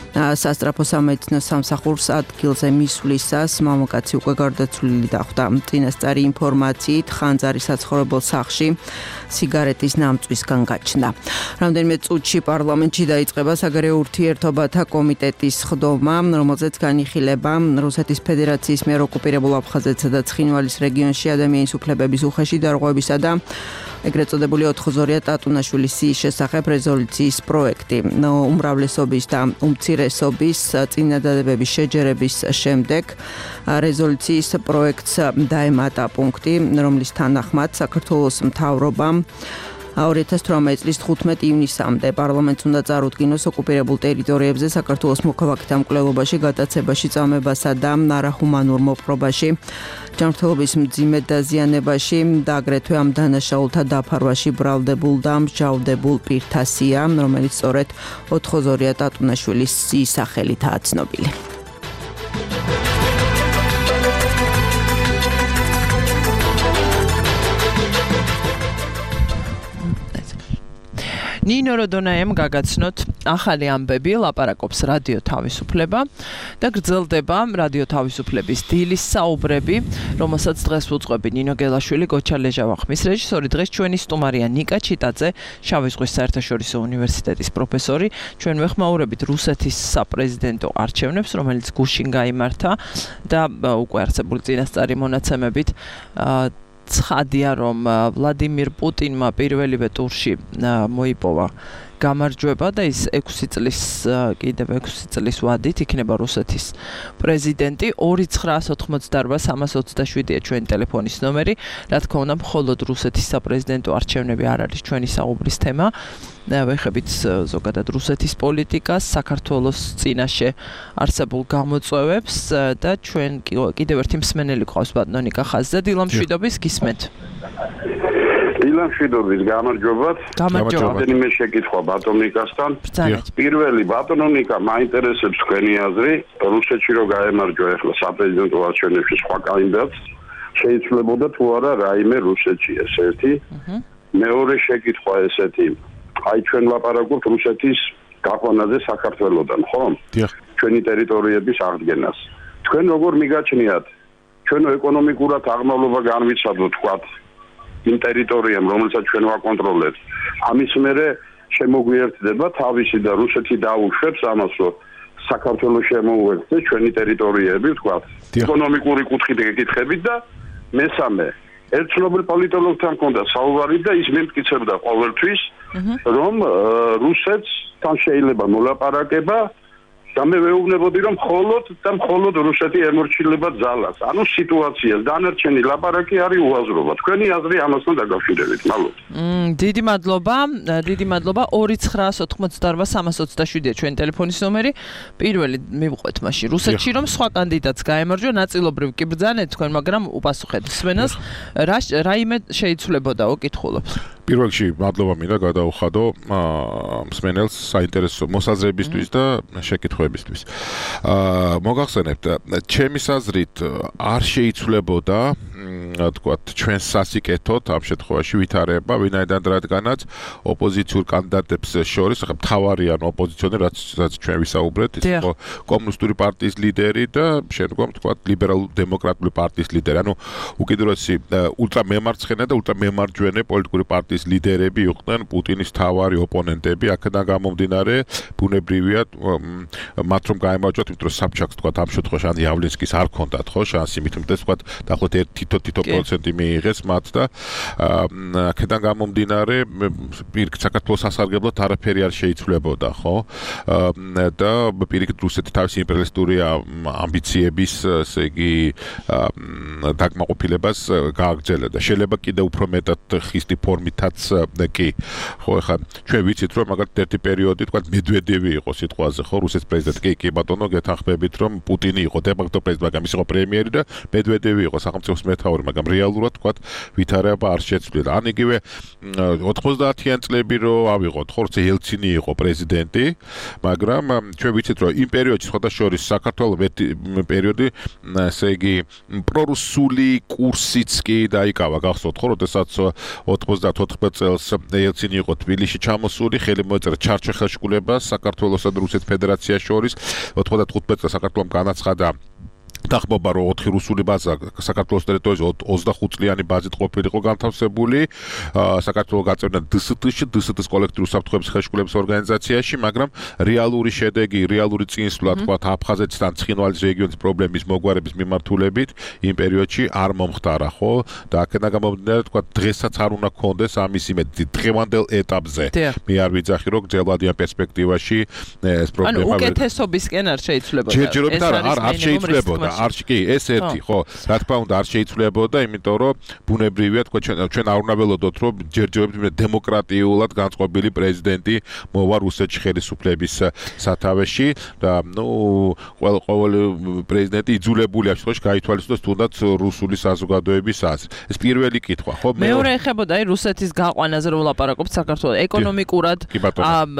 სასტრაფო სამედიცინო სამსახურს ადგილზე მისვლისას მამაკაცი უკვე გარდაცვლილი დახვდა. წინასწარი ინფორმაციით ხანძარი საცხოვრებელ სახლში სიგარეტის ნამწვისგან გაჩნდა. რამდენიმე წუთში პარლამენტში დაიწყება საგარეო ურთიერთობათა კომიტეტის სხდომა, რომელზეც განიხილება რუსეთის ფედერაციის მიერ ოკუპირებულ აფხაზეთსა და ცხინვალის რეგიონში ადამიანის უფლებების უხეში დარღვევისა და ეგრეთ წოდებული 4-ზორია ტატუნაშვილის შესახებ რეზოლუციის პროექტი. უმრავლესობის და უმცირესობის წინადადებების შეჯერების შემდეგ რეზოლუციის პროექტს დაემატა პუნქტი, რომლის თანახმად საქართველოს მთავრობამ 2018 წლის 15 ივნისამდე პარლამენტს უნდა წარუდგინოს ოკუპირებულ ტერიტორიებზე საქართველოს მოქალაქეთა მკვლელობაში, გადაცებაში, წამებასა და არახუმანურ მოპყრობაში, ჯანმრთელობის მძიმე დაზიანებაში და აგრეთვე ამ დანაშაულთა დაფარვაში ბრალდებულ და მსჯავრდებულ პირთა სია, რომელიც სწორედ ოთხოზორია ტატუნაშვილის სახელითაა ცნობილი. ნინო როდონაემ გაგაცნოთ ახალი ამბები, ლაპარაკობს რადიო თავისუფლება და გრძელდება რადიო თავისუფლების დილის საუბრები, რომელსაც დღეს უძღვები ნინო გელაშვილი, გოჩა ლეჟავახმის რეჟისორი, დღეს ჩვენი სტუმარია ნიკა ჩიტაძე, შავი ზღვის საერთაშორისო უნივერსიტეტის პროფესორი. ჩვენ ვეხმაურებით რუსეთის საპრეზიდენტო არჩევნებს, რომელიც გუშინ გაიმართა და უკვე არსებული წინასწარი მონაცემებით ცხადია, რომ ვლადიმირ პუტინმა პირველივე ტურში მოიპოვა გამარჯვება და ის 6 წლის ვადით იქნება რუსეთის პრეზიდენტი. 2988327-ია ჩვენი ტელეფონის ნომერი. რა თქმა უნდა, მხოლოდ რუსეთის საპრეზიდენტო არჩევნები არ არის ჩვენი საუბრის თემა. ვეხებით ზოგადად რუსეთის პოლიტიკას, საქართველოს წინაშე არსებულ გამოწვევებს და ჩვენ კიდევ ერთი მსმენელი ყავს ბატონო ნიკა ხაზზე. დილამშვიდობის, გისმენთ. დილამშვიდობის, გამარჯობათ. რამდენიმე შეკითხვა ბატონ ნიკასთან. პირველი, ბატონო ნიკა, მაინტერესებს თქვენი აზრი, რუსეთში რო გაემარჯვა ახლა საპრეზიდენტო არჩევნებში სხვა კანდიდატს, შეიძლებოდა თუ არა რაიმე რუსეთში, ეს ერთი. მეორე შეკითხვა ესეთი, აი ჩვენ ლაპარაკობთ რუსეთის გაყვანაზე საქართველოსთან, ხო? ჩვენი ტერიტორიების აღდგენას. თქვენ როგორ მიგაჩნიათ, ჩვენო ეკონომიკურად აღმავლობა განვიცადოთ, თქვათ, იმ ტერიტორიამ, რომელსაც ჩვენ ვაკონტროლებთ. ამის მერე შემოგვიერთდება თავისი და რუსეთი დაუშვებს ამას, რომ საქართველოს შემოუერთდეს ჩვენი ტერიტორიები, თქვათ, ეკონომიკური კუთხით გეკითხებით და მესამე, ერთ ცნობილ პოლიტოლოგთან მქონდა საუბარი და ის მემტკიცებდა ყოველთვის, რომ რუსეთს თან შეიძლება მოლაპარაკება და მე ვეუბნებოდი, რომ მხოლოდ რუსეთი ემორჩილება ძალას. ანუ სიტუაციას დანარჩენი ლაპარაკი არის უაზრობა. თქვენი აზრი ამასთან დაკავშირებით, მადლობთ. დიდი მადლობა. 2988327-ია ჩვენი ტელეფონის ნომერი. პირველი მივყვეთ მაშინ რუსეთში, რომ სხვა კანდიდატს გაემარჯვა, ნაწილობრივ კი ბრძანეთ თქვენ, მაგრამ უპასუხეთ სვენას, რაიმე შეიცვლებოდაო, კითხულობთ. პირველ რიგში მადლობა მინდა გადაუხადო მსმენელს საინტერესო მოსაზრებისთვის და შეკითხვებისთვის. მოგახსენებთ, ჩემის აზრით არ შეიცვლებოდა თქვათ ჩვენს სასიკეთოდ ამ შემთხვევაში ვითარება, ვინაიდან რადგანაც ოპოზიციურ კანდიდატებს შორის, ახლა მთავარიან ოპოზიციონერ, რაც ჩვენ ვისაუბრეთ, ის იყო კომუნისტური პარტიის ლიდერი და შემდგომ თქვათ ლიბერალურ-დემოკრატიული პარტიის ლიდერი. ანუ უკიდურესი ულტრამემარცხენე და ულტრამემარჯვენე პოლიტიკური პარტიის ლიდერები იყვნენ პუტინის მთავარი ოპონენტები. აქედან გამომდინარე, ბუნებრივია მათ რომ გაემარჯვათ, იმიტომ რომ საბჭაკს თქვათ ამ შემთხვევაში ან იავლინსკის არ ქონდათ ხო შანსი, მით უმეტეს თქვათ დაახლოებით თითო პროცენტი მიიღეს მათ და აქედან გამომდინარე პირიქით საქართველოს სასარგებლოდ არაფერი არ შეიცვლებოდა, ხო? და პირიქით რუსეთი თავისი იმპერიალისტური ამბიციების, ესე იგი, დაკმაყოფილებას გააგრძელებდა. შეიძლება კიდევ უფრო მეტად ხისტი ფორმითაც კი. ხო, ახლა ჩვენ ვიცით, რომ მაგალითად ერთი პერიოდი, თქვათ, მედვედევი იყო სიტყვაზე, ხო, რუსეთის პრეზიდენტი. კი, ბატონო, გეთანხმებით, რომ პუტინი იყო დე-ფაქტო პრეზიდენტი, მაგრამ ის იყო პრემიერი და მედვედევი იყო სახელმწიფოს მეთაური, მაგრამ რეალურად, თქვათ, ვითარება არ შეცვლილა. ან იგივე 90-იან წლები რო ავიღოთ, ხო, როცა ელცინი იყო პრეზიდენტი, მაგრამ ჩვენ ვიცით, რომ იმ პერიოდში სხვადასხვა საქართველოს პერიოდი, ესე იგი, პრორუსული კურსიც კი დაიკავა, გახსოვთ, ხო, როდესაც 94 წელს ელცინი იყო თბილისში ჩამოსული, ხელი მოეწერა ჩარჩოხელშკულებას საქართველოსა და რუსეთის ფედერაციის შორის. 95 წელს საქართველომ განაცხადა დახმობა რომ 4 რუსული ბაზა საქართველოს ტერიტორიაზე 25 წლიანი ბაზით ყოფილიყო განთავსებული. საქართველოს გაწევნა დსთ-ს კოლექტიური საფრთხეების ხელშეკრულების ორგანიზაციაში, მაგრამ რეალური შედეგი, რეალური წინსვლა თქვათ აფხაზეთიდან ცხინვალის რეგიონის პრობლემის მოგვარების მიმართულებით იმ პერიოდში არ მომხდარა, ხო? და აქედან გამომდინარე თქვათ დღესაც არ უნდა გქონდეს ამის იმედი დღევანდელ ეტაპზე. მე არ ვიძახი რომ გრძელვადიან პერსპექტივაში ეს პრობლემა უკეთესობისკენ არ შეიცვლებოდა. ჯერჯერობით არ შეიცვლებოდა. კი, ეს ერთი, ხო, რა თქმა უნდა არ შეიცვლებოდა, იმიტომ რომ ბუნებრივია თქვა ჩვენ არ უნდა ველოდოთ, რომ ჯერჯერობით დემოკრატიულად განწყობილი პრეზიდენტი მოვა რუსეთში ხელისუფლების სათავეში და ყოველი პრეზიდენტი იძულებულია შემთხვევაში გაითვალისწინოს თუნდაც რუსული საზოგადოების აზრი. ეს პირველი კითხვა, ხო? მეორე ეხებოდა რუსეთის გაყვანაზე რომ ვლაპარაკობთ საქართველოს ეკონომიკურად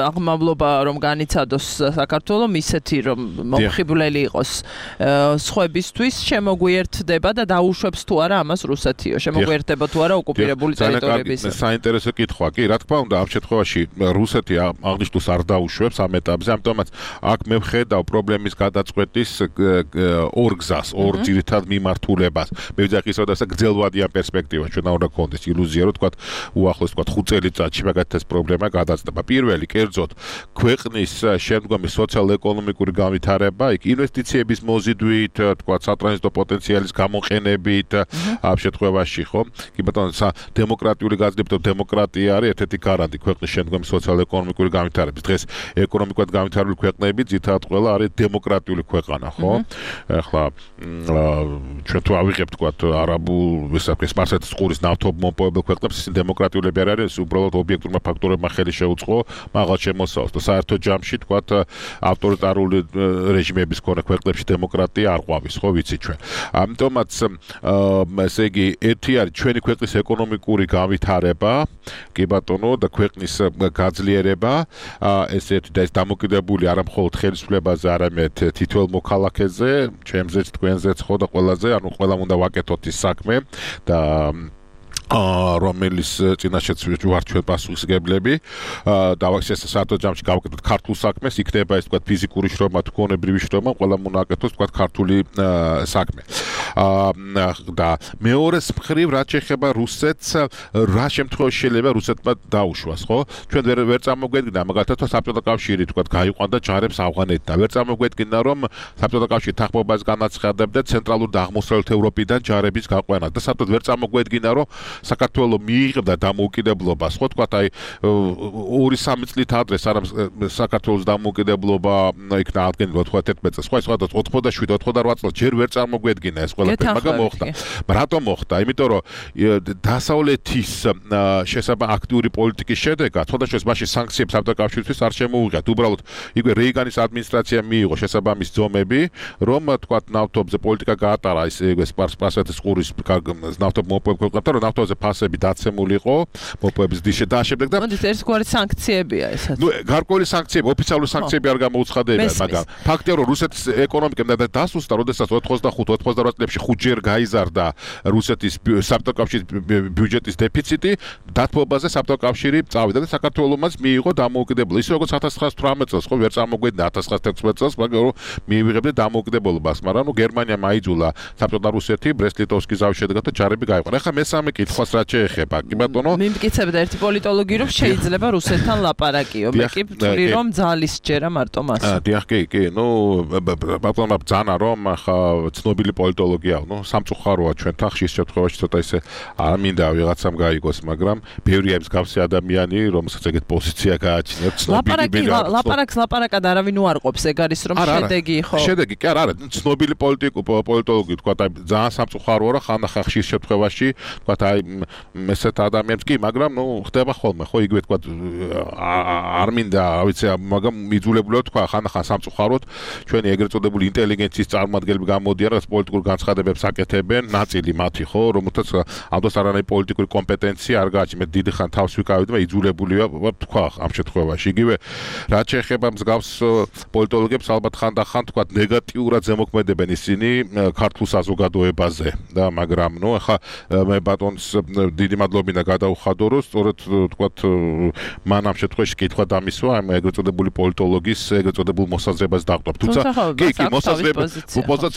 აღმავლობა რომ განიცადოს საქართველოს ისეთი რომ მომხიბვლელი იყოს სხვებისთვის შემოგვიერთდება და დაუშვებს თუ არა ამას რუსეთიო შემოგვიერთდება თუ არა ოკუპირებული ტერიტორიების საინტერესო კითხვა კი რა თქმა უნდა ამ შემთხვევაში რუსეთი აღნიშნულს არ დაუშვებს ამ ეტაპზე ამიტომაც აქ მე ვხედავ პრობლემის გადაწყვეტის ორ გზას ორ ძირითად მიმართულებას მე ვიძახი ისე და გრძელვადიან პერსპექტივა ჩვენ უნდა გქონდეს ილუზია რომ თქვა უახლოს თქვა 5 წელიწადში მაგათ ეს პრობლემა გადაწყვეტა პირველი კერძოდ ქვეყნის შემდგომი სოციალ-ეკონომიკური განვითარება იქ ინვესტიციების მოზიდვით თქვა სატრანზიტო პოტენციალის გამოყენებით ამ შემთხვევაში ხო კი ბატონო დემოკრატიული გაძლიერება დემოკრატია არის ერთ-ერთი გარანტი ქვეყნის შემდგომი სოციალ-ეკონომიკური განვითარების დღეს ეკონომიკურად განვითარებული ქვეყნები ძირითადად ყველა არის დემოკრატიული ქვეყანა ხო ახლა ჩვენ თუ ავიღებთ თქვა არაბულ სპარსეთის ყურის ნავთობმომპოვებელ ქვეყნებს ისინი დემოკრატიულები არ არის უბრალოდ ობიექტურმა ფაქტორებმა ხელი შეუწყო მაღალ შემოსავალს და საერთო ჯამში თქვა ავტორიტარული რეჟიმების მქონე ქვეყნებში დემოკრატია არ ყვავის ხო ვიცით ჩვენ ამიტომაც ესე იგი ერთი არის ჩვენი ქვეყნის ეკონომიკური განვითარება კი ბატონო და ქვეყნის გაძლიერება ესეთი და ეს დამოკიდებული არა მხოლოდ ხელისუფლებაზე არამედ თითოეულ მოქალაქეზე ჩემზეც თქვენზეც ხო და ყველაზე ანუ ყველამ უნდა ვაკეთოთ ის საქმე და რომელიც წინაშეც ვარ ჩვენ პასუხისმგებლები დავახსენე საერთო ჯამში გავაკეთოთ ქართულ საქმეს იქნება ეს თქვა ფიზიკური შრომა თუ გონებრივი შრომა ყველამ უნდა აკეთოს თქვა ქართული საქმე და მეორეს მხრივ რაც შეეხება რუსეთს რა შემთხვევაში შეიძლება რუსეთმა დაუშვას ხო ჩვენ ვერ წამოგვედგინა მაგალითად საბჭოთა კავშირი თქვა გაიყვანდა ჯარებს ავღანეთიდან ვერ წამოგვედგინა რომ საბჭოთა კავშირი თანხმობას განაცხადებდა ცენტრალურ და აღმოსავლეთ ევროპიდან ჯარების გაყვანა და საბჭოთა ვერ წამოგვედგინა რომ საქართველოს მიიღებდა დამოუკიდებლობას, ხო თქვა, აი 2-3 წლით ადრე საქართველოს დამოუკიდებლობა იქნა ადგენილი 91 წელს, ხო, 87-88 წელს ჯერ ვერ წარმოგვედგინა ეს ყველაფერი, მაგრამ მოხდა. რატომ მოხდა? იმიტომ რომ დასავლეთის შესაბამისი აქტიური პოლიტიკის შედეგად, თუნდაც მასში სანქციებს საბჭოთა კავშირისთვის არ შემოუღიათ. უბრალოდ იგივე რეიგანის ადმინისტრაციამ მიიღო შესაბამის ძომები, რომ თქვა ნავთობზე პოლიტიკა გაატარა ის სპარსეთის ყურის ნავთობმომპოვებელ ქვეყნებთან, რომ ნავთობზე ფასები დაცემული იყო მოპოვების დიშე და შემდეგ და მოდით ერთგვარი სანქციებია ესაც. ნუ გარკვეული სანქციები, ოფიციალური სანქციები არ გამოუცხადებია, მაგრამ ფაქტია რომ რუსეთის ეკონომიკა დასუსტა, როდესაც 85-88 წლებში 5-ჯერ გაიზარდა რუსეთის საბჭოთა კავშირის ბიუჯეტის დეფიციტი, დათბობაზე საბჭოთა კავშირი წავიდა და საქართველოს მიიღო დამოუკიდებლობა. ისე როგორც 1918 წელს, ხო, ვერ წარმოგვედგინა 1916 წელს, მაგრამ მიიღებდა დამოუკიდებლობას, მაგრამ ნუ გერმანიამ აიძულა საბჭოთა რუსეთი ბრესტ-ლიტოვსკის ზავის შედეგად და ჯარები გაიყვანა. ახლა მესამე კითხვას რაც შეეხება, კი ბატონო? მიმტკიცებდა ერთი პოლიტოლოგი, რომ შეიძლება რუსეთთან ლაპარაკიო. მე კი ვთვლი, რომ ძალის ჯერა მარტო მას. დიახ, კი, ნუ ბატონო ბძანა რომ ახლა ცნობილი პოლიტოლოგია, ნუ სამწუხაროა ჩვენთან ხშირ შემთხვევაში ცოტა ისე არ მინდა ვიღაცამ გაიგოს, მაგრამ ბევრია მსგავსი ადამიანი, რომელსაც ეგეთ პოზიცია გააჩნიათ ცნობილი ლაპარაკად არავინ უარყოფს, ეგ არის რომ შედეგი ხო? შედეგი კი არა, ცნობილი პოლიტოლოგი თქვა, აი ძალიან სამწუხაროა რა ხანახა ხშირ შემთხვევაში თქვა აი ესეთ ადამიანებს კი, მაგრამ ნუ ხდება ხოლმე, ხო, იგივე თქვა არ მინდა, რა ვიცი, მაგრამ მიძულებულია თქვა ხანახან სამწუხაროდ ჩვენი ეგრეთ წოდებული ინტელიგენციის წარმომადგენლები გამოდიან, რაც პოლიტიკურ განცხადებებს აკეთებენ, ნაწილი მათი, ხო, რომელთაც ამ დროს არანაირი პოლიტიკური კომპეტენცია არ გააჩნია, მე დიდი ხან თავს ვიკავებდი, მაგრამ იძულებულია თქვა ამ შემთხვევაში. იგივე რაც შეეხება მსგავს პოლიტოლოგებს, ალბათ ხანდახან თქვა ნეგატიურად ზემოქმედებენ ისინი ქართულ საზოგადოებაზე და მაგრამ ნუ ახლა მე ბატონს დიდი მადლობინა გადაუხადო, რომ სწორედ თქვა მან ამ შემთხვევაში კითხვა დამისვა ამ ეგრეთ წოდებული პოლიტოლოგის ეგრეთ წოდებულ მოსაზრებას დაყვა. თუმცა კი, მოსაზრება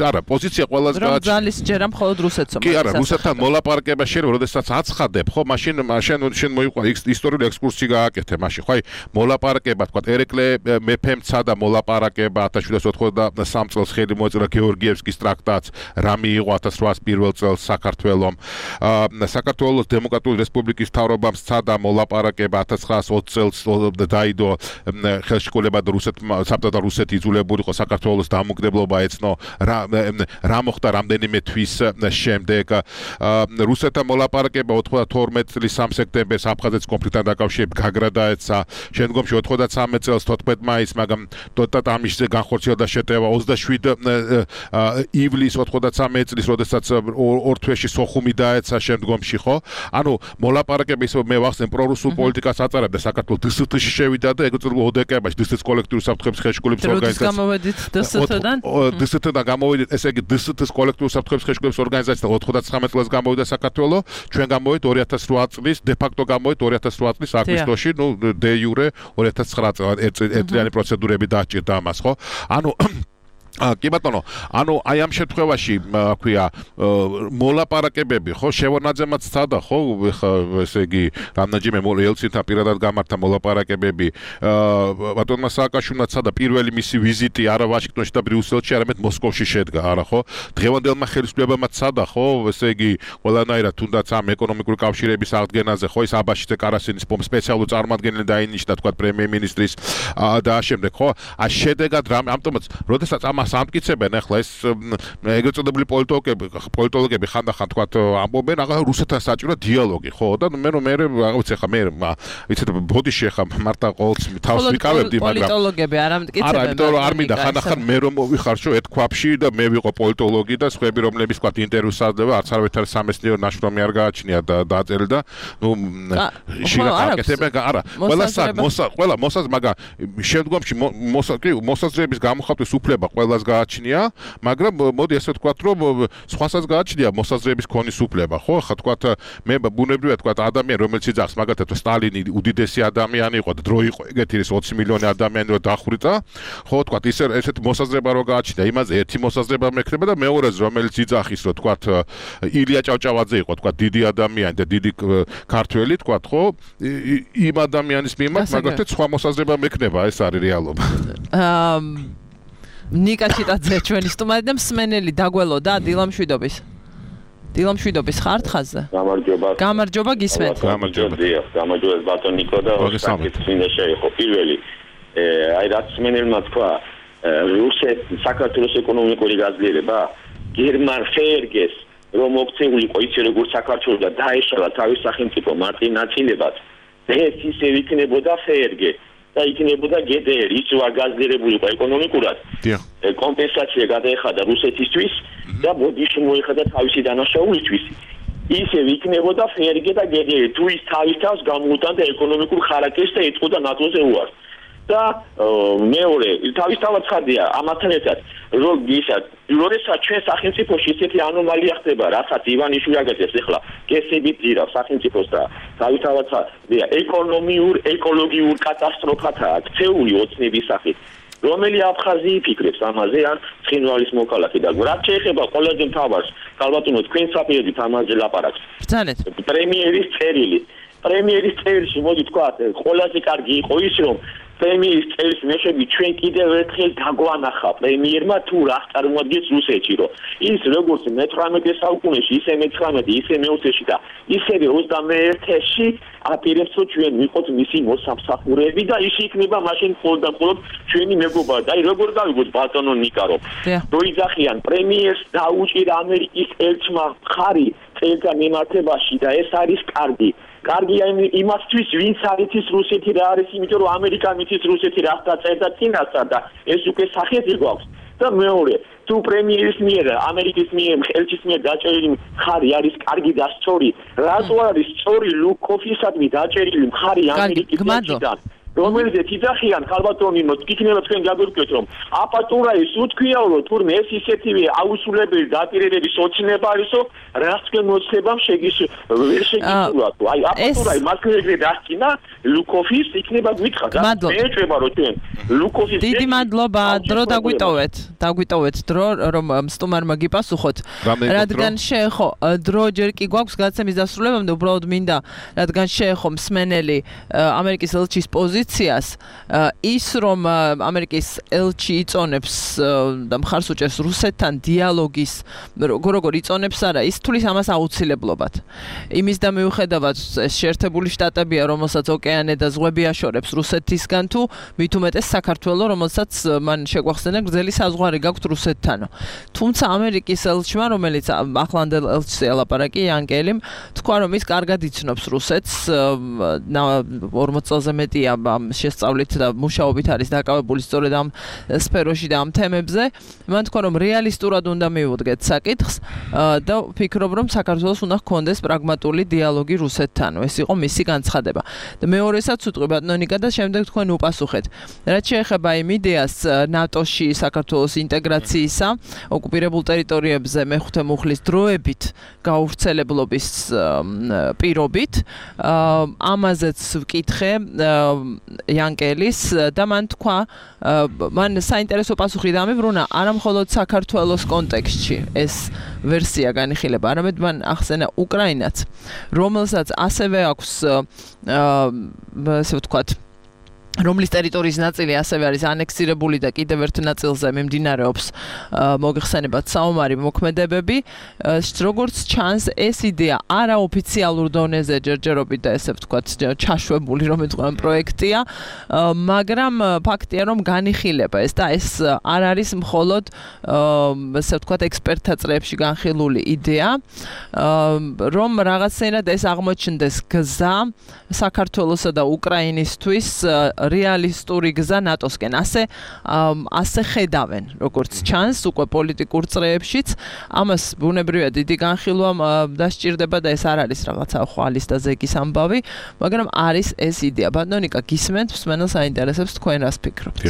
არა, პოზიცია ყველაზე გააჩნია. ძალის ჯერა მხოლოდ რუსეთს კი არა, რუსეთთან მოლაპარაკება შეიძლება, როდესაც აცხადებ, ხო, მაშინ შენ მოიყვა ისტორიული ექსკურსი გააკეთე, მაშინ ხო, აი მოლაპარაკება, თქვა ერეკლე მეფემცა და მოლაპარაკება 1793 წელს ხელი მოეწერა გეორგიევსკის ტრაქტატს, რა მიიღო 1801 წელს საქართველომ. საქართველოს დემოკრატიული რესპუბლიკის მთავრობამ სცადა მოლაპარაკება 1920 წელს დაიდო ხელშეკრულება და საბჭოთა რუსეთი იძულებული იყო საქართველოს დამოუკიდებლობა ეცნო რა მოხდა რამდენიმე თვის შემდეგ რუსეთთან მოლაპარაკება 92 წლის 3 სექტემბერს აფხაზეთის კონფლიქტთან დაკავშირებით გაგრადაეცა შემდგომში 93 წელს 14 მაისს მაგრამ ტოტამიშზე განხორციელდა შეტევა 27 ივლისს 93 წლის როდესაც ორ თვეში სოხუმი დაეცა შემდგომში ხო ანუ მოლაპარაკება ისე მე ვახსენ პრორუსულ პოლიტიკას აწარებდა საქართველოს დსთ-ში შევიდა და ეგრეთ წოდებულ ოდეკებაში დსთ-ის კოლექტიური საფრთხების ხელშეკრულების ორგანიზაცია გამოვედით დსთ-დან გამოვედით ესე იგი დსთ-ის კოლექტიური საფრთხების ხელშეკრულების ორგანიზაცია 99 წელს გამოვიდა საქართველოს ჩვენ გამოვით 2008 წლის დე ფაქტო გამოვით 2008 წლის აგვისტოში ნუ დე იურე 2009 წელს ერთიანი პროცედურები დააჭირდა ამას ხო ანუ კი ბატონო, ანუ აი ამ შემთხვევაში, ქვია, მოლაპარაკებები, ხო, შევარნაძემაც სცადა, ხო, ესე იგი, რამდენჯერმე ელცინთან პირადად გამართა მოლაპარაკებები, ბატონმა სააკაშვილმა სცადა პირველი მისი ვიზიტი არა ვაშინგტონში და ბრიუსელში, არამედ მოსკოვში შედგა, არა ხო? დღევანდელმა ხელისუფლებამ სცადა, ხო, ესე იგი, ყველანაირად თუნდაც ამ ეკონომიკური კავშირების აღდგენაზე, ხო, ის აბაშიძე კარასინის სპეციალური წარმომადგენელი დაინიშნა, თქვა პრემიერ-მინისტრის და შემდეგ, ხო? შედეგად რამე, ამიტომაც, როდესაც ამას ამტკიცებენ ახლა ეს ეგრეთ წოდებული პოლიტოლოგები ხანდახან თქვა ამბობენ აღარ რუსეთთან საჭირო დიალოგი ხო და მე ვიცი ახლა მე ვიცით ბოდიში ახლა მარტა ყოველთვის თავს ვიკავებდი მაგრამ პოლიტოლოგები არ ამტკიცებენ არა იმიტომ რომ არ მინდა ხანდახან მე რომ მოვიხარშო ეთქვაფში და მე ვიყო პოლიტოლოგი და სხვები რომლების თქვა ინტერვიუს აძლევა არც არაერთი სამეცნიერო ნაშრომი არ გააჩნია და დააწერილი და ნუ შეგაკეთებენ არა ყველა მოსაზრ მაგრამ შემდგომში მოსაზრების გამოხატვის უფლება ყველას გააჩნია, მაგრამ მოდი ესე ვთქვათ, რომ სხვასაც გააჩნია მოსაზრების ქონის უფლება, ხო? ხა თქვათ მე ბუნებრივია თქვათ ადამიანი რომელიც იძახს, მაგათაც სტალინი უდიდესი ადამიანი იყო და დრო იყო ეგეთი 20 მილიონი ადამიანი რო დახვრიტა, ხო, თქვათ ესეთ მოსაზრება რო გააჩნია, იმაზე ერთი მოსაზრება მექნება და მეორეზე რომელიც იძახის, რომ თქვათ ილია ჭავჭავაძე იყო, თქვათ დიდი ადამიანი და დიდი ქართველი, თქვათ, ხო? იმ ადამიანის მიმართ მაგათაც სხვა მოსაზრება მექნება, ეს არის რეალობა. ნიკა ჩიტაძე ჩვენი სტუმარი და მსმენელი დაგველოდა დილამშვიდობის ხართ ხაზზე? გამარჯობა გისმენთ. გამარჯობა ბატონ ნიკო და ოქსაკეთმინდა შეიხო პირველი აი რაც მსმენელმა თქვა საქართველოს ეკონომიკური გაძლიერება გერმან ფერგეს რომ მოქცეული იყო ისე როგორც საქართველოს და დაეშალა თავის სახელმწიფო მარტინაცილებად ეს ისე იქნებოდა ფერგე და იქნებოდა GDR, ის ვარ გაძლიერებული იყო ეკონომიკურად. კომპენსაცია გადაეხადა რუსეთისთვის და ბოდიში მოიხადა თავისი დანაშაულისთვის. ისევ იქნებოდა ფერგე და GDR, თუ ის თავის თავს გამოუტანდა ეკონომიკურ ხარაკტერს და ეთყოდა ნატოზე უარს. და მეორე, თავისთავად ხარდია ამათთან ერთად, როდესაც ჩვენ სახელმწიფოში ისეთი ანომალია ხდება, რასაც ივანიშვილი აგეთებს ახლა, გესებით ძირავს სახელმწიფოს და თავისთავად ხარდია ეკოლოგიურ კატასტროფათაა ქცეული ოცნების სახით. რომელი აფხაზი ფიქრებს ამაზე ან ცხინვალის მოქალაქე და რაც შეეხება ყველაზე მთავარს, ქალბატონო თქვენ საფიედით ამაზე ლაპარაკს. ბრძანეთ. პრემიერის წერილში მოდი თქვათ, ყველაზე კარგი იყო ის რომ პრემიერის წერილს მეშვები ჩვენ კიდევ ერთხელ დაგვანახა პრემიერმა თუ რა წარმოადგენს რუსეთში რომ ის როგორც მე-18 საუკუნეში ისე მე-19 ისე მე-20-ში და ისევე 21-ში აპირებს რომ ჩვენ ვიყოთ მისი მოსამსახურეები და ის იქნება მაშინ მხოლოდ ჩვენი მეგობარი და აი როგორ გავიგოთ ბატონო ნიკა რომ როიძახიან პრემიერს დაუჭირა ამერიკის ელჩმა ხარი წელთან მიმართებაში და ეს არის კარგია იმასთვის ვინც არიცის რუსეთი რა არის იმიტომ რომ ამერიკა მიცის რუსეთი რა წერდა წინასწარ და ეს უკვე სახეთი გვაქვს და მეორე თუ პრემიერის მიერ ამერიკის მიერ ხელჩის მიერ დაჭერილი ხარი არის კარგი და სწორი რატო არის სწორი ლუკოფისადმი დაჭერილი ხარი ამერიკის ხელჩიდან რომელზეც იძახიან ხალბატონი მოგიქნება თქვენ გაგვირკვეთ რომ აპატურა ის უთქვიაო რომ თურმე ეს ისეთივე აუსულებელი დაპირებების ოცნება არისო რაც თქვენ მოცხებამ ვერ შეგიძლიათ აი აპატურა მასკრეგრე დასწინა ლუკოფის იქნება გვითხრა და მეეჭება რომ თქვენ ლუკოფის დიდი მადლობა დრო დაგვიტოვეთ დრო რომ სტუმარმა გიპასუხოთ რადგან შეეხო დრო ჯერ კი გვაქვს გადაცემის დასრულებამდე უბრალოდ მინდა რადგან შეეხო მსმენელი ამერიკის ელჩის პოზიციას პოზიციას ის რომ ამერიკის ელჩი იწონებს და მხარს უჭერს რუსეთთან დიალოგის როგორ იწონებს არა ის თulis ამას აუცილებლობად იმის და მიუხედავად ეს შეერთებული შტატებია რომელსაც ოკეანე და ზღვები აშორებს რუსეთისგან თუ მით უმეტეს საქართველოს რომელსაც მან შეგვახსენა გრძელი საზღვარი გაქვთ რუსეთთანო თუმცა ამერიკის ელჩმა რომელიც ახლანდელ ელჩს ელაპარაკი იანკელიმ თქვა რომ ის კარგად იცნობს რუსეთს 40 წელზე მეტია შესწავლით და მუშაობით არის დაკავებული სწორედ ამ სფეროში და ამ თემებზე მან თქვა რომ რეალისტურად უნდა მივუდგეთ საკითხს და ვფიქრობ რომ საქართველოს უნდა ჰქონდეს პრაგმატული დიალოგი რუსეთთან ეს იყო მისი განცხადება და მეორესაც უთყვი ბატონიკა და შემდეგ თქვენ უპასუხეთ რაც შეეხება იმ იდეას ნატოში საქართველოს ინტეგრაციისა ოკუპირებულ ტერიტორიებზე მეხუთე მუხლის დროებით გაუვრცელებლობის პირობით ამაზეც ვკითხე იანკელის და მან თქვა მან საინტერესო პასუხი დამებრუნა არა მხოლოდ საქართველოს კონტექსტში ეს ვერსია განიხილება არამედ მან ახსენა უკრაინაც რომელსაც ასევე აქვს ასე ვთქვათ რომლის ტერიტორიის ნაწილი ასევე არის ანექსირებული და კიდევ ერთ ნაწილზე მიმდინარეობს მოგეხსენებათ საომარი მოქმედებები როგორც ჩანს ეს იდეა არაოფიციალურ დონეზე ჯერჯერობით და ესე ვთქვათ ჩაშვებული რომ ეთქვან პროექტია მაგრამ ფაქტია რომ განიხილება ეს და ეს არ არის მხოლოდ ესე ვთქვათ ექსპერტთა წრეებში განხილული იდეა რომ რაღაცნაირად ეს აღმოჩნდეს გზა საქართველოსა და უკრაინისთვის რეალისტური გზა ნატოსკენ ასე ხედავენ როგორც ჩანს უკვე პოლიტიკურ წრეებშიც ამას ბუნებრივია დიდი განხილვა დასჭირდება და ეს არ არის რაღაცა ხვალის და ზეგის ამბავი მაგრამ არის ეს იდეა ბატონიკა გისმენთ მსმენელს აინტერესებს თქვენ რას ფიქრობთ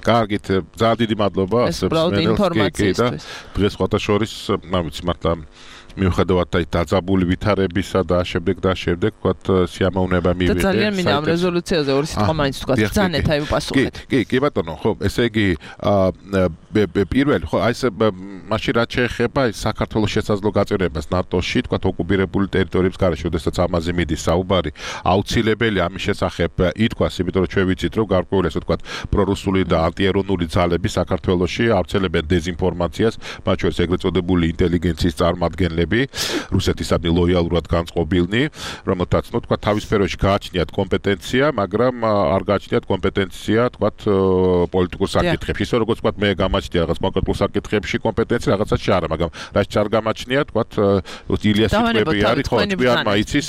კარგით ძალიან დიდი მადლობა ინფორმაციისთვის დღეს სხვათა შორის ვიცი მართლა მიუხედავად დაძაბული ვითარებისა და შემდეგ ვთქვათ სიამოვნება მივიღე. და ძალიან მინდა ამ რეზოლუციაზე ორი სიტყვა მაინც ვთქვათ ბრძანეთ აი უპასუხეთ. კი ბატონო, ხო, ესე იგი პირველი ხო აი ეს მაშინ რაც შეეხება საქართველოს შესაძლო გაწევრებას ნატოში, ვთქვათ ოკუპირებული ტერიტორიების გარეშე, შესაძაც ამაზე მიდის საუბარი, აუცილებელი ამის შესახებ ითქვას, იმიტომ რომ ჩვენ ვიცით რომ გარკვეული ასე ვთქვათ პრორუსული და ანტიეროვნული ძალები საქართველოში ავრცელებენ დეზინფორმაციას, მათ შორის ეგრეთ წოდებული ინტელიგენციის წარმომადგენლები რუსეთისადმი ლოიალურად განწყობილნი, რომელთაც ნუ თქვა თავის სფეროში გააჩნიათ კომპეტენცია, მაგრამ არ გააჩნიათ კომპეტენცია, თქვა პოლიტიკურ საკითხებში. ისე როგორც თქვა მე გამაჩნია რაღაც კონკრეტულ საკითხებში კომპეტენცია, რაღაცაში არა, მაგრამ რაც არ გამაჩნია, თქვა ილიას სიტყვები არის, ხო, ჭკვიანმა იცის,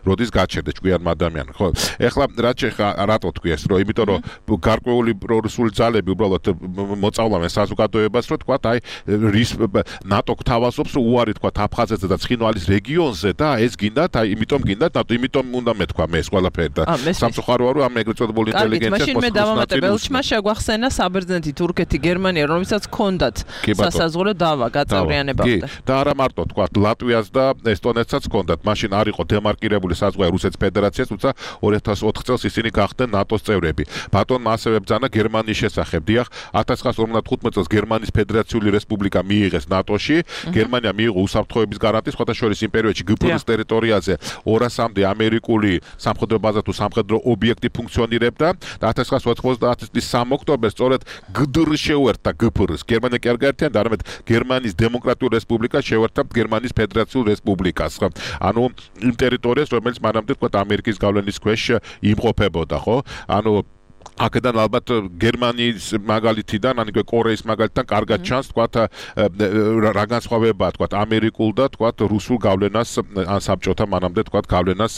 როდის გაჩერდეს ჭკვიანმა ადამიანმა, ხო. ეხლა რაც რატო თქვი ეს, რომ იმიტომ რომ გარკვეული პრორუსული ძალები უბრალოდ მოწავლავენ საზოგადოებას, რომ თქვა აი ნატო გთავაზობს უარი თქვა აფხაზეთზე და ცხინვალის რეგიონზე და ეს გინდათ, აი იმიტომ გინდათ ნატო, იმიტომ უნდა მეთქვა მე ეს ყველაფერი და სამწუხაროა რომ ამ ეგრეთ წოდებული ინტელიგენცია მაშინ მე დავამატებელჩმა შეგვახსენა საბერძნეთი, თურქეთი, გერმანია, რომელსაც ჰქონდათ სასაზღვრო დავა გაწევრიანებამდე. და არა მარტო თქვა ლატვიას და ესტონეთსაც ჰქონდათ, მაშინ არ იყო დემარკირებული საზღვარი რუსეთის ფედერაციას, თუმცა 2004 წელს ისინი გახდნენ ნატოს წევრები. ბატონმა ასევე ბრძანა გერმანიის შესახებ. დიახ, 1955 წელს გერმანიის ფედერაციული რესპუბლიკა მიიღეს ნატოში, გერმანია მიიღო უსაფრთხოების გარანტიის, სხვათა შორის იმ პერიოდში გპრ-ის ტერიტორიაზე 200-მდე ამერიკული სამხედრო ბაზა თუ სამხედრო ობიექტი ფუნქციონირებდა და 1990 წლის 3 ოქტომბერს სწორედ გდრ შეუერთდა გპრ-ს. გერმანია კი არ გაერთიანდა, არამედ გერმანიის დემოკრატიული რესპუბლიკა შეუერთდა გერმანიის ფედერაციულ რესპუბლიკას. ანუ იმ ტერიტორიას, რომელიც მანამდე თქვა ამერიკის გავლენის ქვეშ იმყოფებოდა, ხო? ანუ აქედან ალბათ გერმანიის მაგალითიდან, ან ისე კორეის მაგალითიდან კარგად ჩანს, თქვა რა განსხვავებაა, თქვა ამერიკულ და თქვა რუსულ გავლენას ან საბჭოთა მანამდე თქვა გავლენას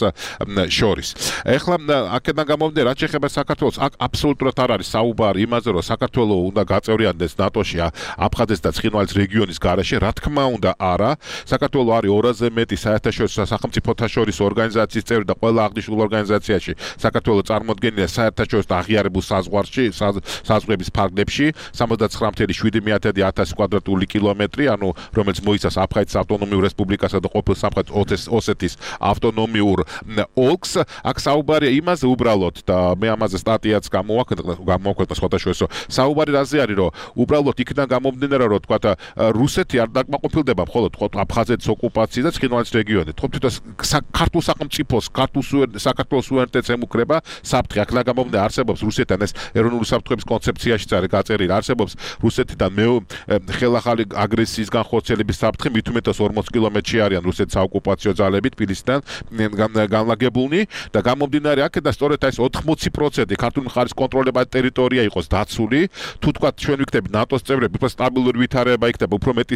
შორის. ეხლა აქედან გამომდინარე, რაც შეეხება საქართველოს, აქ აბსოლუტურად არ არის საუბარი იმაზე, რომ საქართველო უნდა გაწევრიანდეს ნატოში აფხაზეთის და ცხინვალის რეგიონის გარეშე, რა თქმა უნდა არა. საქართველო არის 200-ზე მეტი საერთაშორისო სახელმწიფოთა შორის ორგანიზაციის წევრი და ყველა აღნიშნულ ორგანიზაციაში საქართველო წარმოდგენილია საერთაშორისო აღიარებათა განვითარებულ საზღვარების ფარგლებში 79,7 კვადრატული კილომეტრი, ანუ რომელიც მოიცავს აფხაზეთის ავტონომიურ რესპუბლიკასა და ყოფილ სამხრეთ ოსეთის ავტონომიურ ოლქს. აქ საუბარია იმაზე უბრალოდ და მე ამაზე სტატიაც გამოვაქვეყნა სხვადასხვა საუბარი რაზე არის, რომ უბრალოდ იქიდან გამომდინარე, რომ თქვა რუსეთი არ დაკმაყოფილდება მხოლოდ აფხაზეთის ოკუპაციით და ცხინვალის რეგიონით. თვითონ ქართულ სახელმწიფოს, საქართველოს სუვერენიტეტს ემუქრება საფრთხე. აქ გამომდინარე არსებობს რუსეთთან ეს ეროვნული საფრთხეების კონცეფციაშიც არის გაწერილი. არსებობს რუსეთიდან ხელახალი აგრესიის განხორციელების საფრთხე, მით უმეტეს 40 კილომეტრში არიან რუსეთის საოკუპაციო ძალები თბილისიდან განლაგებულნი და გამომდინარე აქედან სწორედ ეს 80% ქართული მხარის კონტროლებადი ტერიტორია იყოს დაცული. თუ თქვა ჩვენ ვიქნებით ნატოს წევრები, უფრო სტაბილური ვითარება იქნება, უფრო მეტი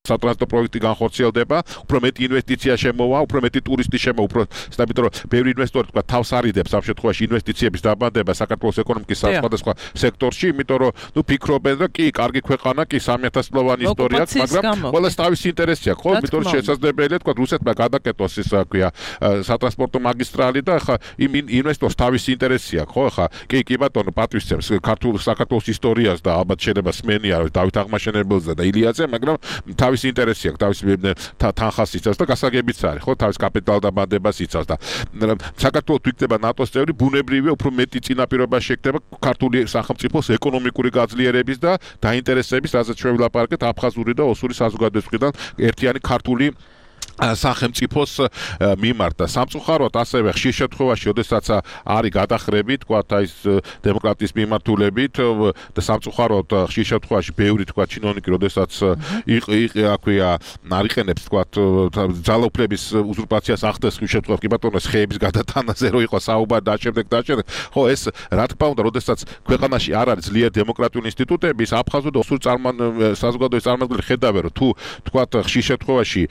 სატრანსპორტო პროექტი განხორციელდება, უფრო მეტი ინვესტიცია შემოვა, უფრო მეტი ტურისტი შემოვა, უფრო სტაბილური, ბევრი ინვესტორი თქვა თავს არიდებს ამ შემთხვევაში ინვესტიციების დაბანდება საქართველოს ეკონომიკის სხვადასხვა სექტორში, იმიტომ რომ ფიქრობენ, რომ კი, კარგი ქვეყანა, კი 3000 წლოვანი ისტორია აქვს, მაგრამ ყველას თავისი ინტერესი აქვს, ხო? იმიტომ რომ შესაძლებელია თქვა რუსეთმა გადაკეთოს ის ქვია სატრანსპორტო მაგისტრალი და ხა იმ ინვესტორს თავისი ინტერესი აქვს, ხო? ხა კი ბატონო პატვისცემს ქართულ საქართველოს ისტორიას და ალბათ შეიძლება სმენია დავით აღმაშენებელზე და ილიაძე, მაგრამ თავის ინტერესი აქვს, თავის თანხას იცავს და გასაგებიც არის, ხო, თავის კაპიტალ დაბადებას იცავს და საქართველოს იქნება ნატოს წევრი, ბუნებრივია უფრო მეტი წინაპირობა შექნება ქართული სახელმწიფოს ეკონომიკური გაძლიერების და დაინტერესების, რასაც ჩვენ ვილაპარაკეთ აფხაზური და ოსური საზოგადოებისგან ერთიანი ქართული სახელმწიფოს მიმართ და სამწუხაროდ ასევე ხშირ შემთხვევაში, როდესაც არის გადახრები, თქვათ ის დემოკრატიის მიმართულებით და სამწუხაროდ ხშირ შემთხვევაში ბევრი თქვათ ჩინოვნიკი, როდესაც აქვია არიყენებს თქვათ ძალაუფლების უზურპაციას ახდენს ხშირ შემთხვევაში, კი ბატონო, ხეების გადატანაზე რო იყო საუბარი და შემდეგ, ხო, ეს რა თქმა უნდა, როდესაც ქვეყანაში არ არის ძლიერ დემოკრატიული ინსტიტუტები, აფხაზური და ოსური საზოგადოების წარმომადგენლები ხედავენ, რომ თუ თქვათ ხშირ შემთხვევაში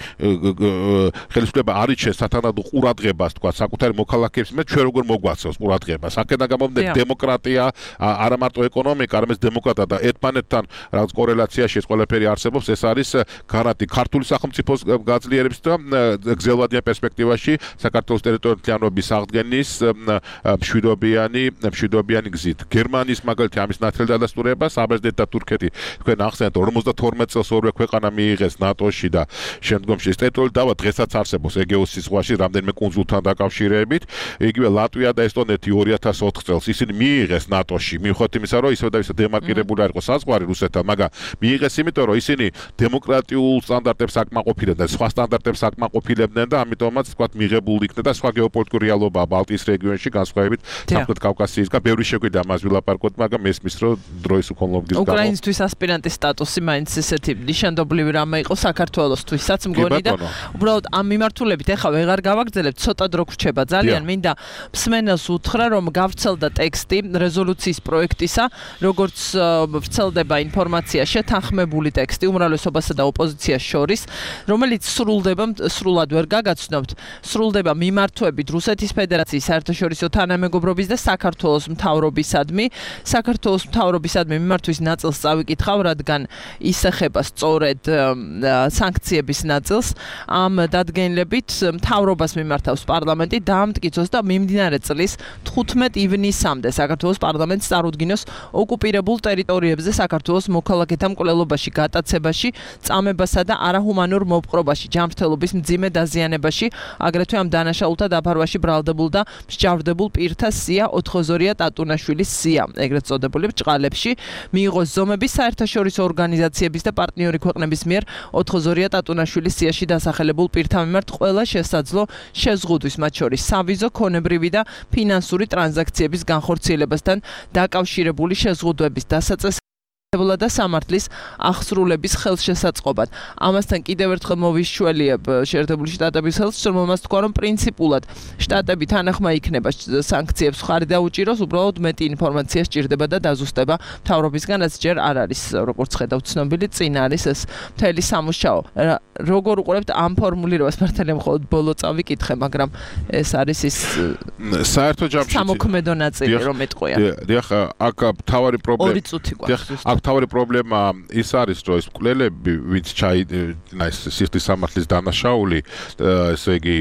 ხელისუფლება არიჩენს სათანადო ყურადღებას თქვა საკუთარი მოქალაქეების მე ჩვენ როგორ მოგვაცევს ყურადღებას აქედან გამომდინარე დემოკრატია არა მარტო ეკონომიკა არამედ დემოკრატია და ერთმანეთთან რაღაც კორელაციაში ეს ყველაფერი არსებობს ეს არის გარანტი ქართული სახელმწიფოს გაძლიერების და გრძელვადიან პერსპექტივაში საქართველოს ტერიტორიალობის აღდგენის მშვიდობიანი გზით გერმანიის მაგალითი ამის ნათელი დადასტურება საბერძნეთი და თურქეთი თქვენ ახსენეთ 52 წელს ორივე ქვეყანა მიიღეს ნატოში და შემდგომში ეს ტერიტორიული დავა დღესაც არსებობს ეგეოსის ზღვაში რამდენიმე კუნძულთან დაკავშირებით იგივე ლატვია და ესტონეთი 2004 წელს ისინი მიიღეს ნატოში მიუხედავად იმისა რომ ისევ და ისევ დემარკირებული არ იყო საზღვარი რუსეთთან მაგრამ მიიღეს იმიტომ რომ ისინი დემოკრატიულ სტანდარტებს აკმაყოფილებდნენ სხვა სტანდარტებს აკმაყოფილებდნენ და ამიტომაც თქვათ მიღებული იქნა და სხვა გეოპოლიტიკური რეალობაა ბალტიის რეგიონში განსხვავებით სამხრეთ კავკასიისგან ბევრი შეგვიდა ამას ვილაპარაკოთ მაგრამ მესმის რომ დროის უქონლობის გამო უკრაინისთვის ასპირანტის სტატუსი მაინც ესეთი ნიშანდობლივი რამე იყო საქართველოსთვისაც მგონი და უბრალოდ ამ მიმართულებით ეხლა ვეღარ გავაგრძელებთ ცოტა დრო გრჩება ძალიან მინდა მსმენელს უთხრა რომ გავრცელდა ტექსტი რეზოლუციის პროექტისა როგორც ვრცელდება ინფორმაცია შეთანხმებული ტექსტი უმრავლესობასა და ოპოზიციას შორის რომელიც სრულად ვერ გაგაცნობთ სრულდება მიმართვებით რუსეთის ფედერაციის საერთაშორისო თანამეგობრობის და საქართველოს მთავრობისადმი მიმართვის ნაწილს წავიკითხავ რადგან ის ეხება სწორედ სანქციების ნაწილს ამ დადგენილებით მთავრობას მიმართავს პარლამენტი დაამტკიცოს და მიმდინარე წლის 15 ივნისამდე საქართველოს პარლამენტს წარუდგინოს ოკუპირებულ ტერიტორიებზე საქართველოს მოქალაქეთა მკვლელობაში, გატაცებაში, წამებასა და არაჰუმანურ მოპყრობაში, ჯანმრთელობის მძიმე დაზიანებაში, აგრეთვე ამ დანაშაულთა დაფარვაში ბრალდებულ და მსჯავრდებულ პირთა სია ოთხოზორია ტატუნაშვილის სია, ეგრეთ წოდებული ბრჭყალებში, მიიღოს ზომების საერთაშორისო ორგანიზაციების და პარტნიორი ქვეყნების მიერ ოთხოზორია ტატუნაშვილის სიაში დასახელებულ პირთა მიმართ ყველა შესაძლო შეზღუდვის, მათ შორის სავიზო, ქონებრივი და ფინანსური ტრანზაქციების განხორციელებასთან დაკავშირებული შეზღუდვების დასაწესებლად და სამართლის აღსრულების ხელშესაწყობად. ამასთან კიდევ ერთხელ მოვიშველიებ შეერთებული შტატების ხელს, რომელმაც თქვა, რომ პრინციპულად შტატები თანახმა იქნება სანქციებს ხარი დაუჭიროს, უბრალოდ მეტი ინფორმაცია სჭირდება და დაზუსტება მთავრობისგან, რაც ჯერ არ არის, როგორც ხედავთ, ცნობილი, წინ არის ეს მთელი სამუშაო. როგორ უყურებთ ამ ფორმულირებას, მართალია მხოლოდ ბოლო წავიკითხე, მაგრამ ეს არის ის საერთო ჯამში სამოქმედო ნაწილი, რომ ეტყვია. დიახ, აქ თავარი პრობლემა. 2 წუთი გვაქვს. აქ მთავარი პრობლემა ის არის, რომ ეს მკვლელები, ვინც სისხლის სამართლის დანაშაული, ესე იგი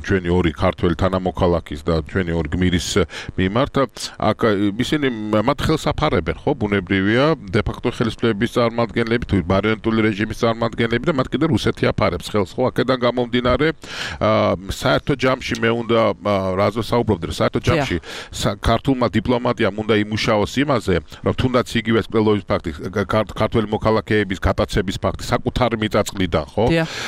ჩვენი ორი ქართველი თანამოქალაქის და ჩვენი ორი გმირის მიმართ, აქ ისინი მათ ხელს აფარებენ, ხო, ბუნებრივია, დე-ფაქტო ხელისუფლების წარმომადგენლები თუ მარიონეტული რეჟიმის წარმომადგენლები და მათ კიდე რუსეთი აფარებს ხელს, ხო, აქედან გამომდინარე, საერთო ჯამში მე უნდა რაზო საუბრობდი, რომ საერთო ჯამში ქართულმა დიპლომატიამ უნდა იმუშაოს იმაზე, რომ თუნდაც იგივე მკვლელობის ფაქტი, ქართველი მოქალაქეების გატაცების ფაქტი საკუთარი მიწაწყლიდან, ხო?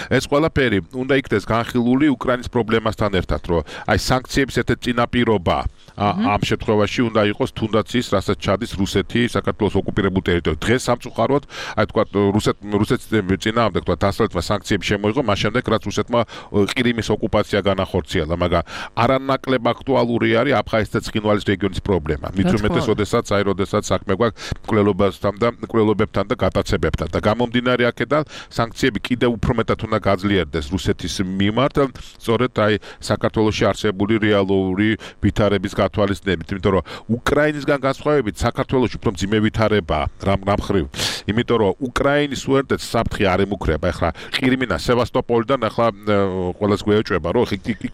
ეს ყველაფერი უნდა იქნეს განხილული უკრაინის პრობლემასთან ერთად, რომ აი სანქციების ერთ-ერთი წინაპირობა ამ შემთხვევაში უნდა იყოს თუნდაც ის, რასაც ჩადის რუსეთი საქართველოს ოკუპირებულ ტერიტორიაზე. დღეს სამწუხაროდ, აი თქვა რუსეთის წინააღმდეგ თქვა დასავლეთმა სანქციები შემოიღო, მას შემდეგ რაც რუსეთმა ყირიმის ოკუპაცია განახორციელა, მაგრამ არანაკლებ აქტუალური არის აფხაზეთის და ცხინვალის რეგიონის პრობლემა. მით უმეტეს, როდესაც საქმე გვაქვს მკვლელობებთან და გატაცებებთან და გამომდინარე აქედან სანქციები კიდევ უფრო მეტად უნდა გაძლიერდეს რუსეთის მიმართ, სწორედ აი საქართველოში არსებული რეალური ვითარების გათვალისწინებით, იმიტომ რომ უკრაინისგან განსხვავებით საქართველოში უფრო მძიმე ვითარებაა რამ მხრივ. იმიტომ რომ უკრაინის სუვერენიტეტს საფრთხე არ ემუქრება. ეხლა ყირიმინა სევასტოპოლიდან ეხლა ყველას გვეეჭვება, რომ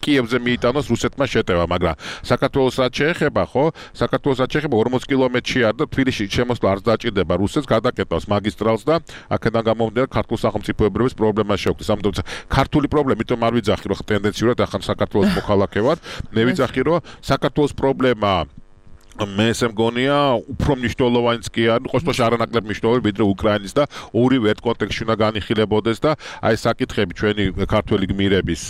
კიევზე მიიტანოს რუსეთმა შეტევა, მაგრამ საქართველოს რაც შეეხება, ხო? საქართველოს რაც შეეხება 40 კილომეტრში არ და თბილისში შემოსვლა არ დაჭირდება რუსეთს, გადაკეთავს მაგისტრალს და აქედან გამომდინარე ქართულ სახელმწიფოებრების პრობლემას შეუქმნის. ამიტომ ქართული პრობლემა, იმიტომ არ ვიძახი, რომ ტენდენციურად ახლა საქართველოს მოქალაქე ვარ, მე ვიძახი, რომ საქართველოს პრობლემა მე ესე მგონია უფრო მნიშვნელოვანიც კი არის, ყოველ შემთხვევაში არანაკლებ მნიშვნელოვანი, ვიდრე უკრაინის და ორივე ერთ კონტექსტში უნდა განიხილებოდეს და აი საკითხები ჩვენი ქართველი გმირების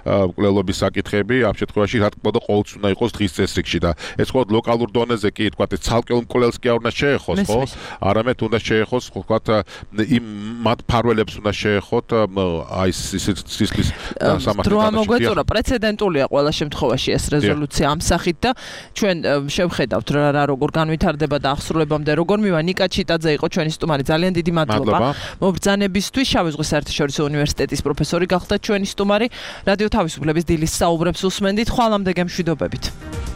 მკვლელობის საკითხები ამ შემთხვევაში რა თქმა უნდა ყოველთვის უნდა იყოს დღის წესრიგში და ეს ხო ლოკალურ დონეზე კი თქვა ეს ცალკეულ მკვლელს კი არ უნდა შეეხოს, ხო? არამედ უნდა შეეხოს თქვა იმ მათ ფარველებს უნდა შეეხოთ აი სისხლის სამართლის დრო ამოგვეწურა პრეცედენტულია ყველა შემთხვევაში ეს რეზოლუცია ამ სახით და ჩვენ შევხედავთ რა როგორ განვითარდება და ახსრულებამდე როგორ მივა. ნიკა ჩიტაძე იყო ჩვენი სტუმარი. ძალიან დიდი მადლობა მობრძანებისთვის. შავი ზღვის საერთაშორისო უნივერსიტეტის პროფესორი გახდა ჩვენი სტუმარი. რადიო თავისუფლების დილის საუბრებს უსმენდით. ხვალამდე გემშვიდობებით.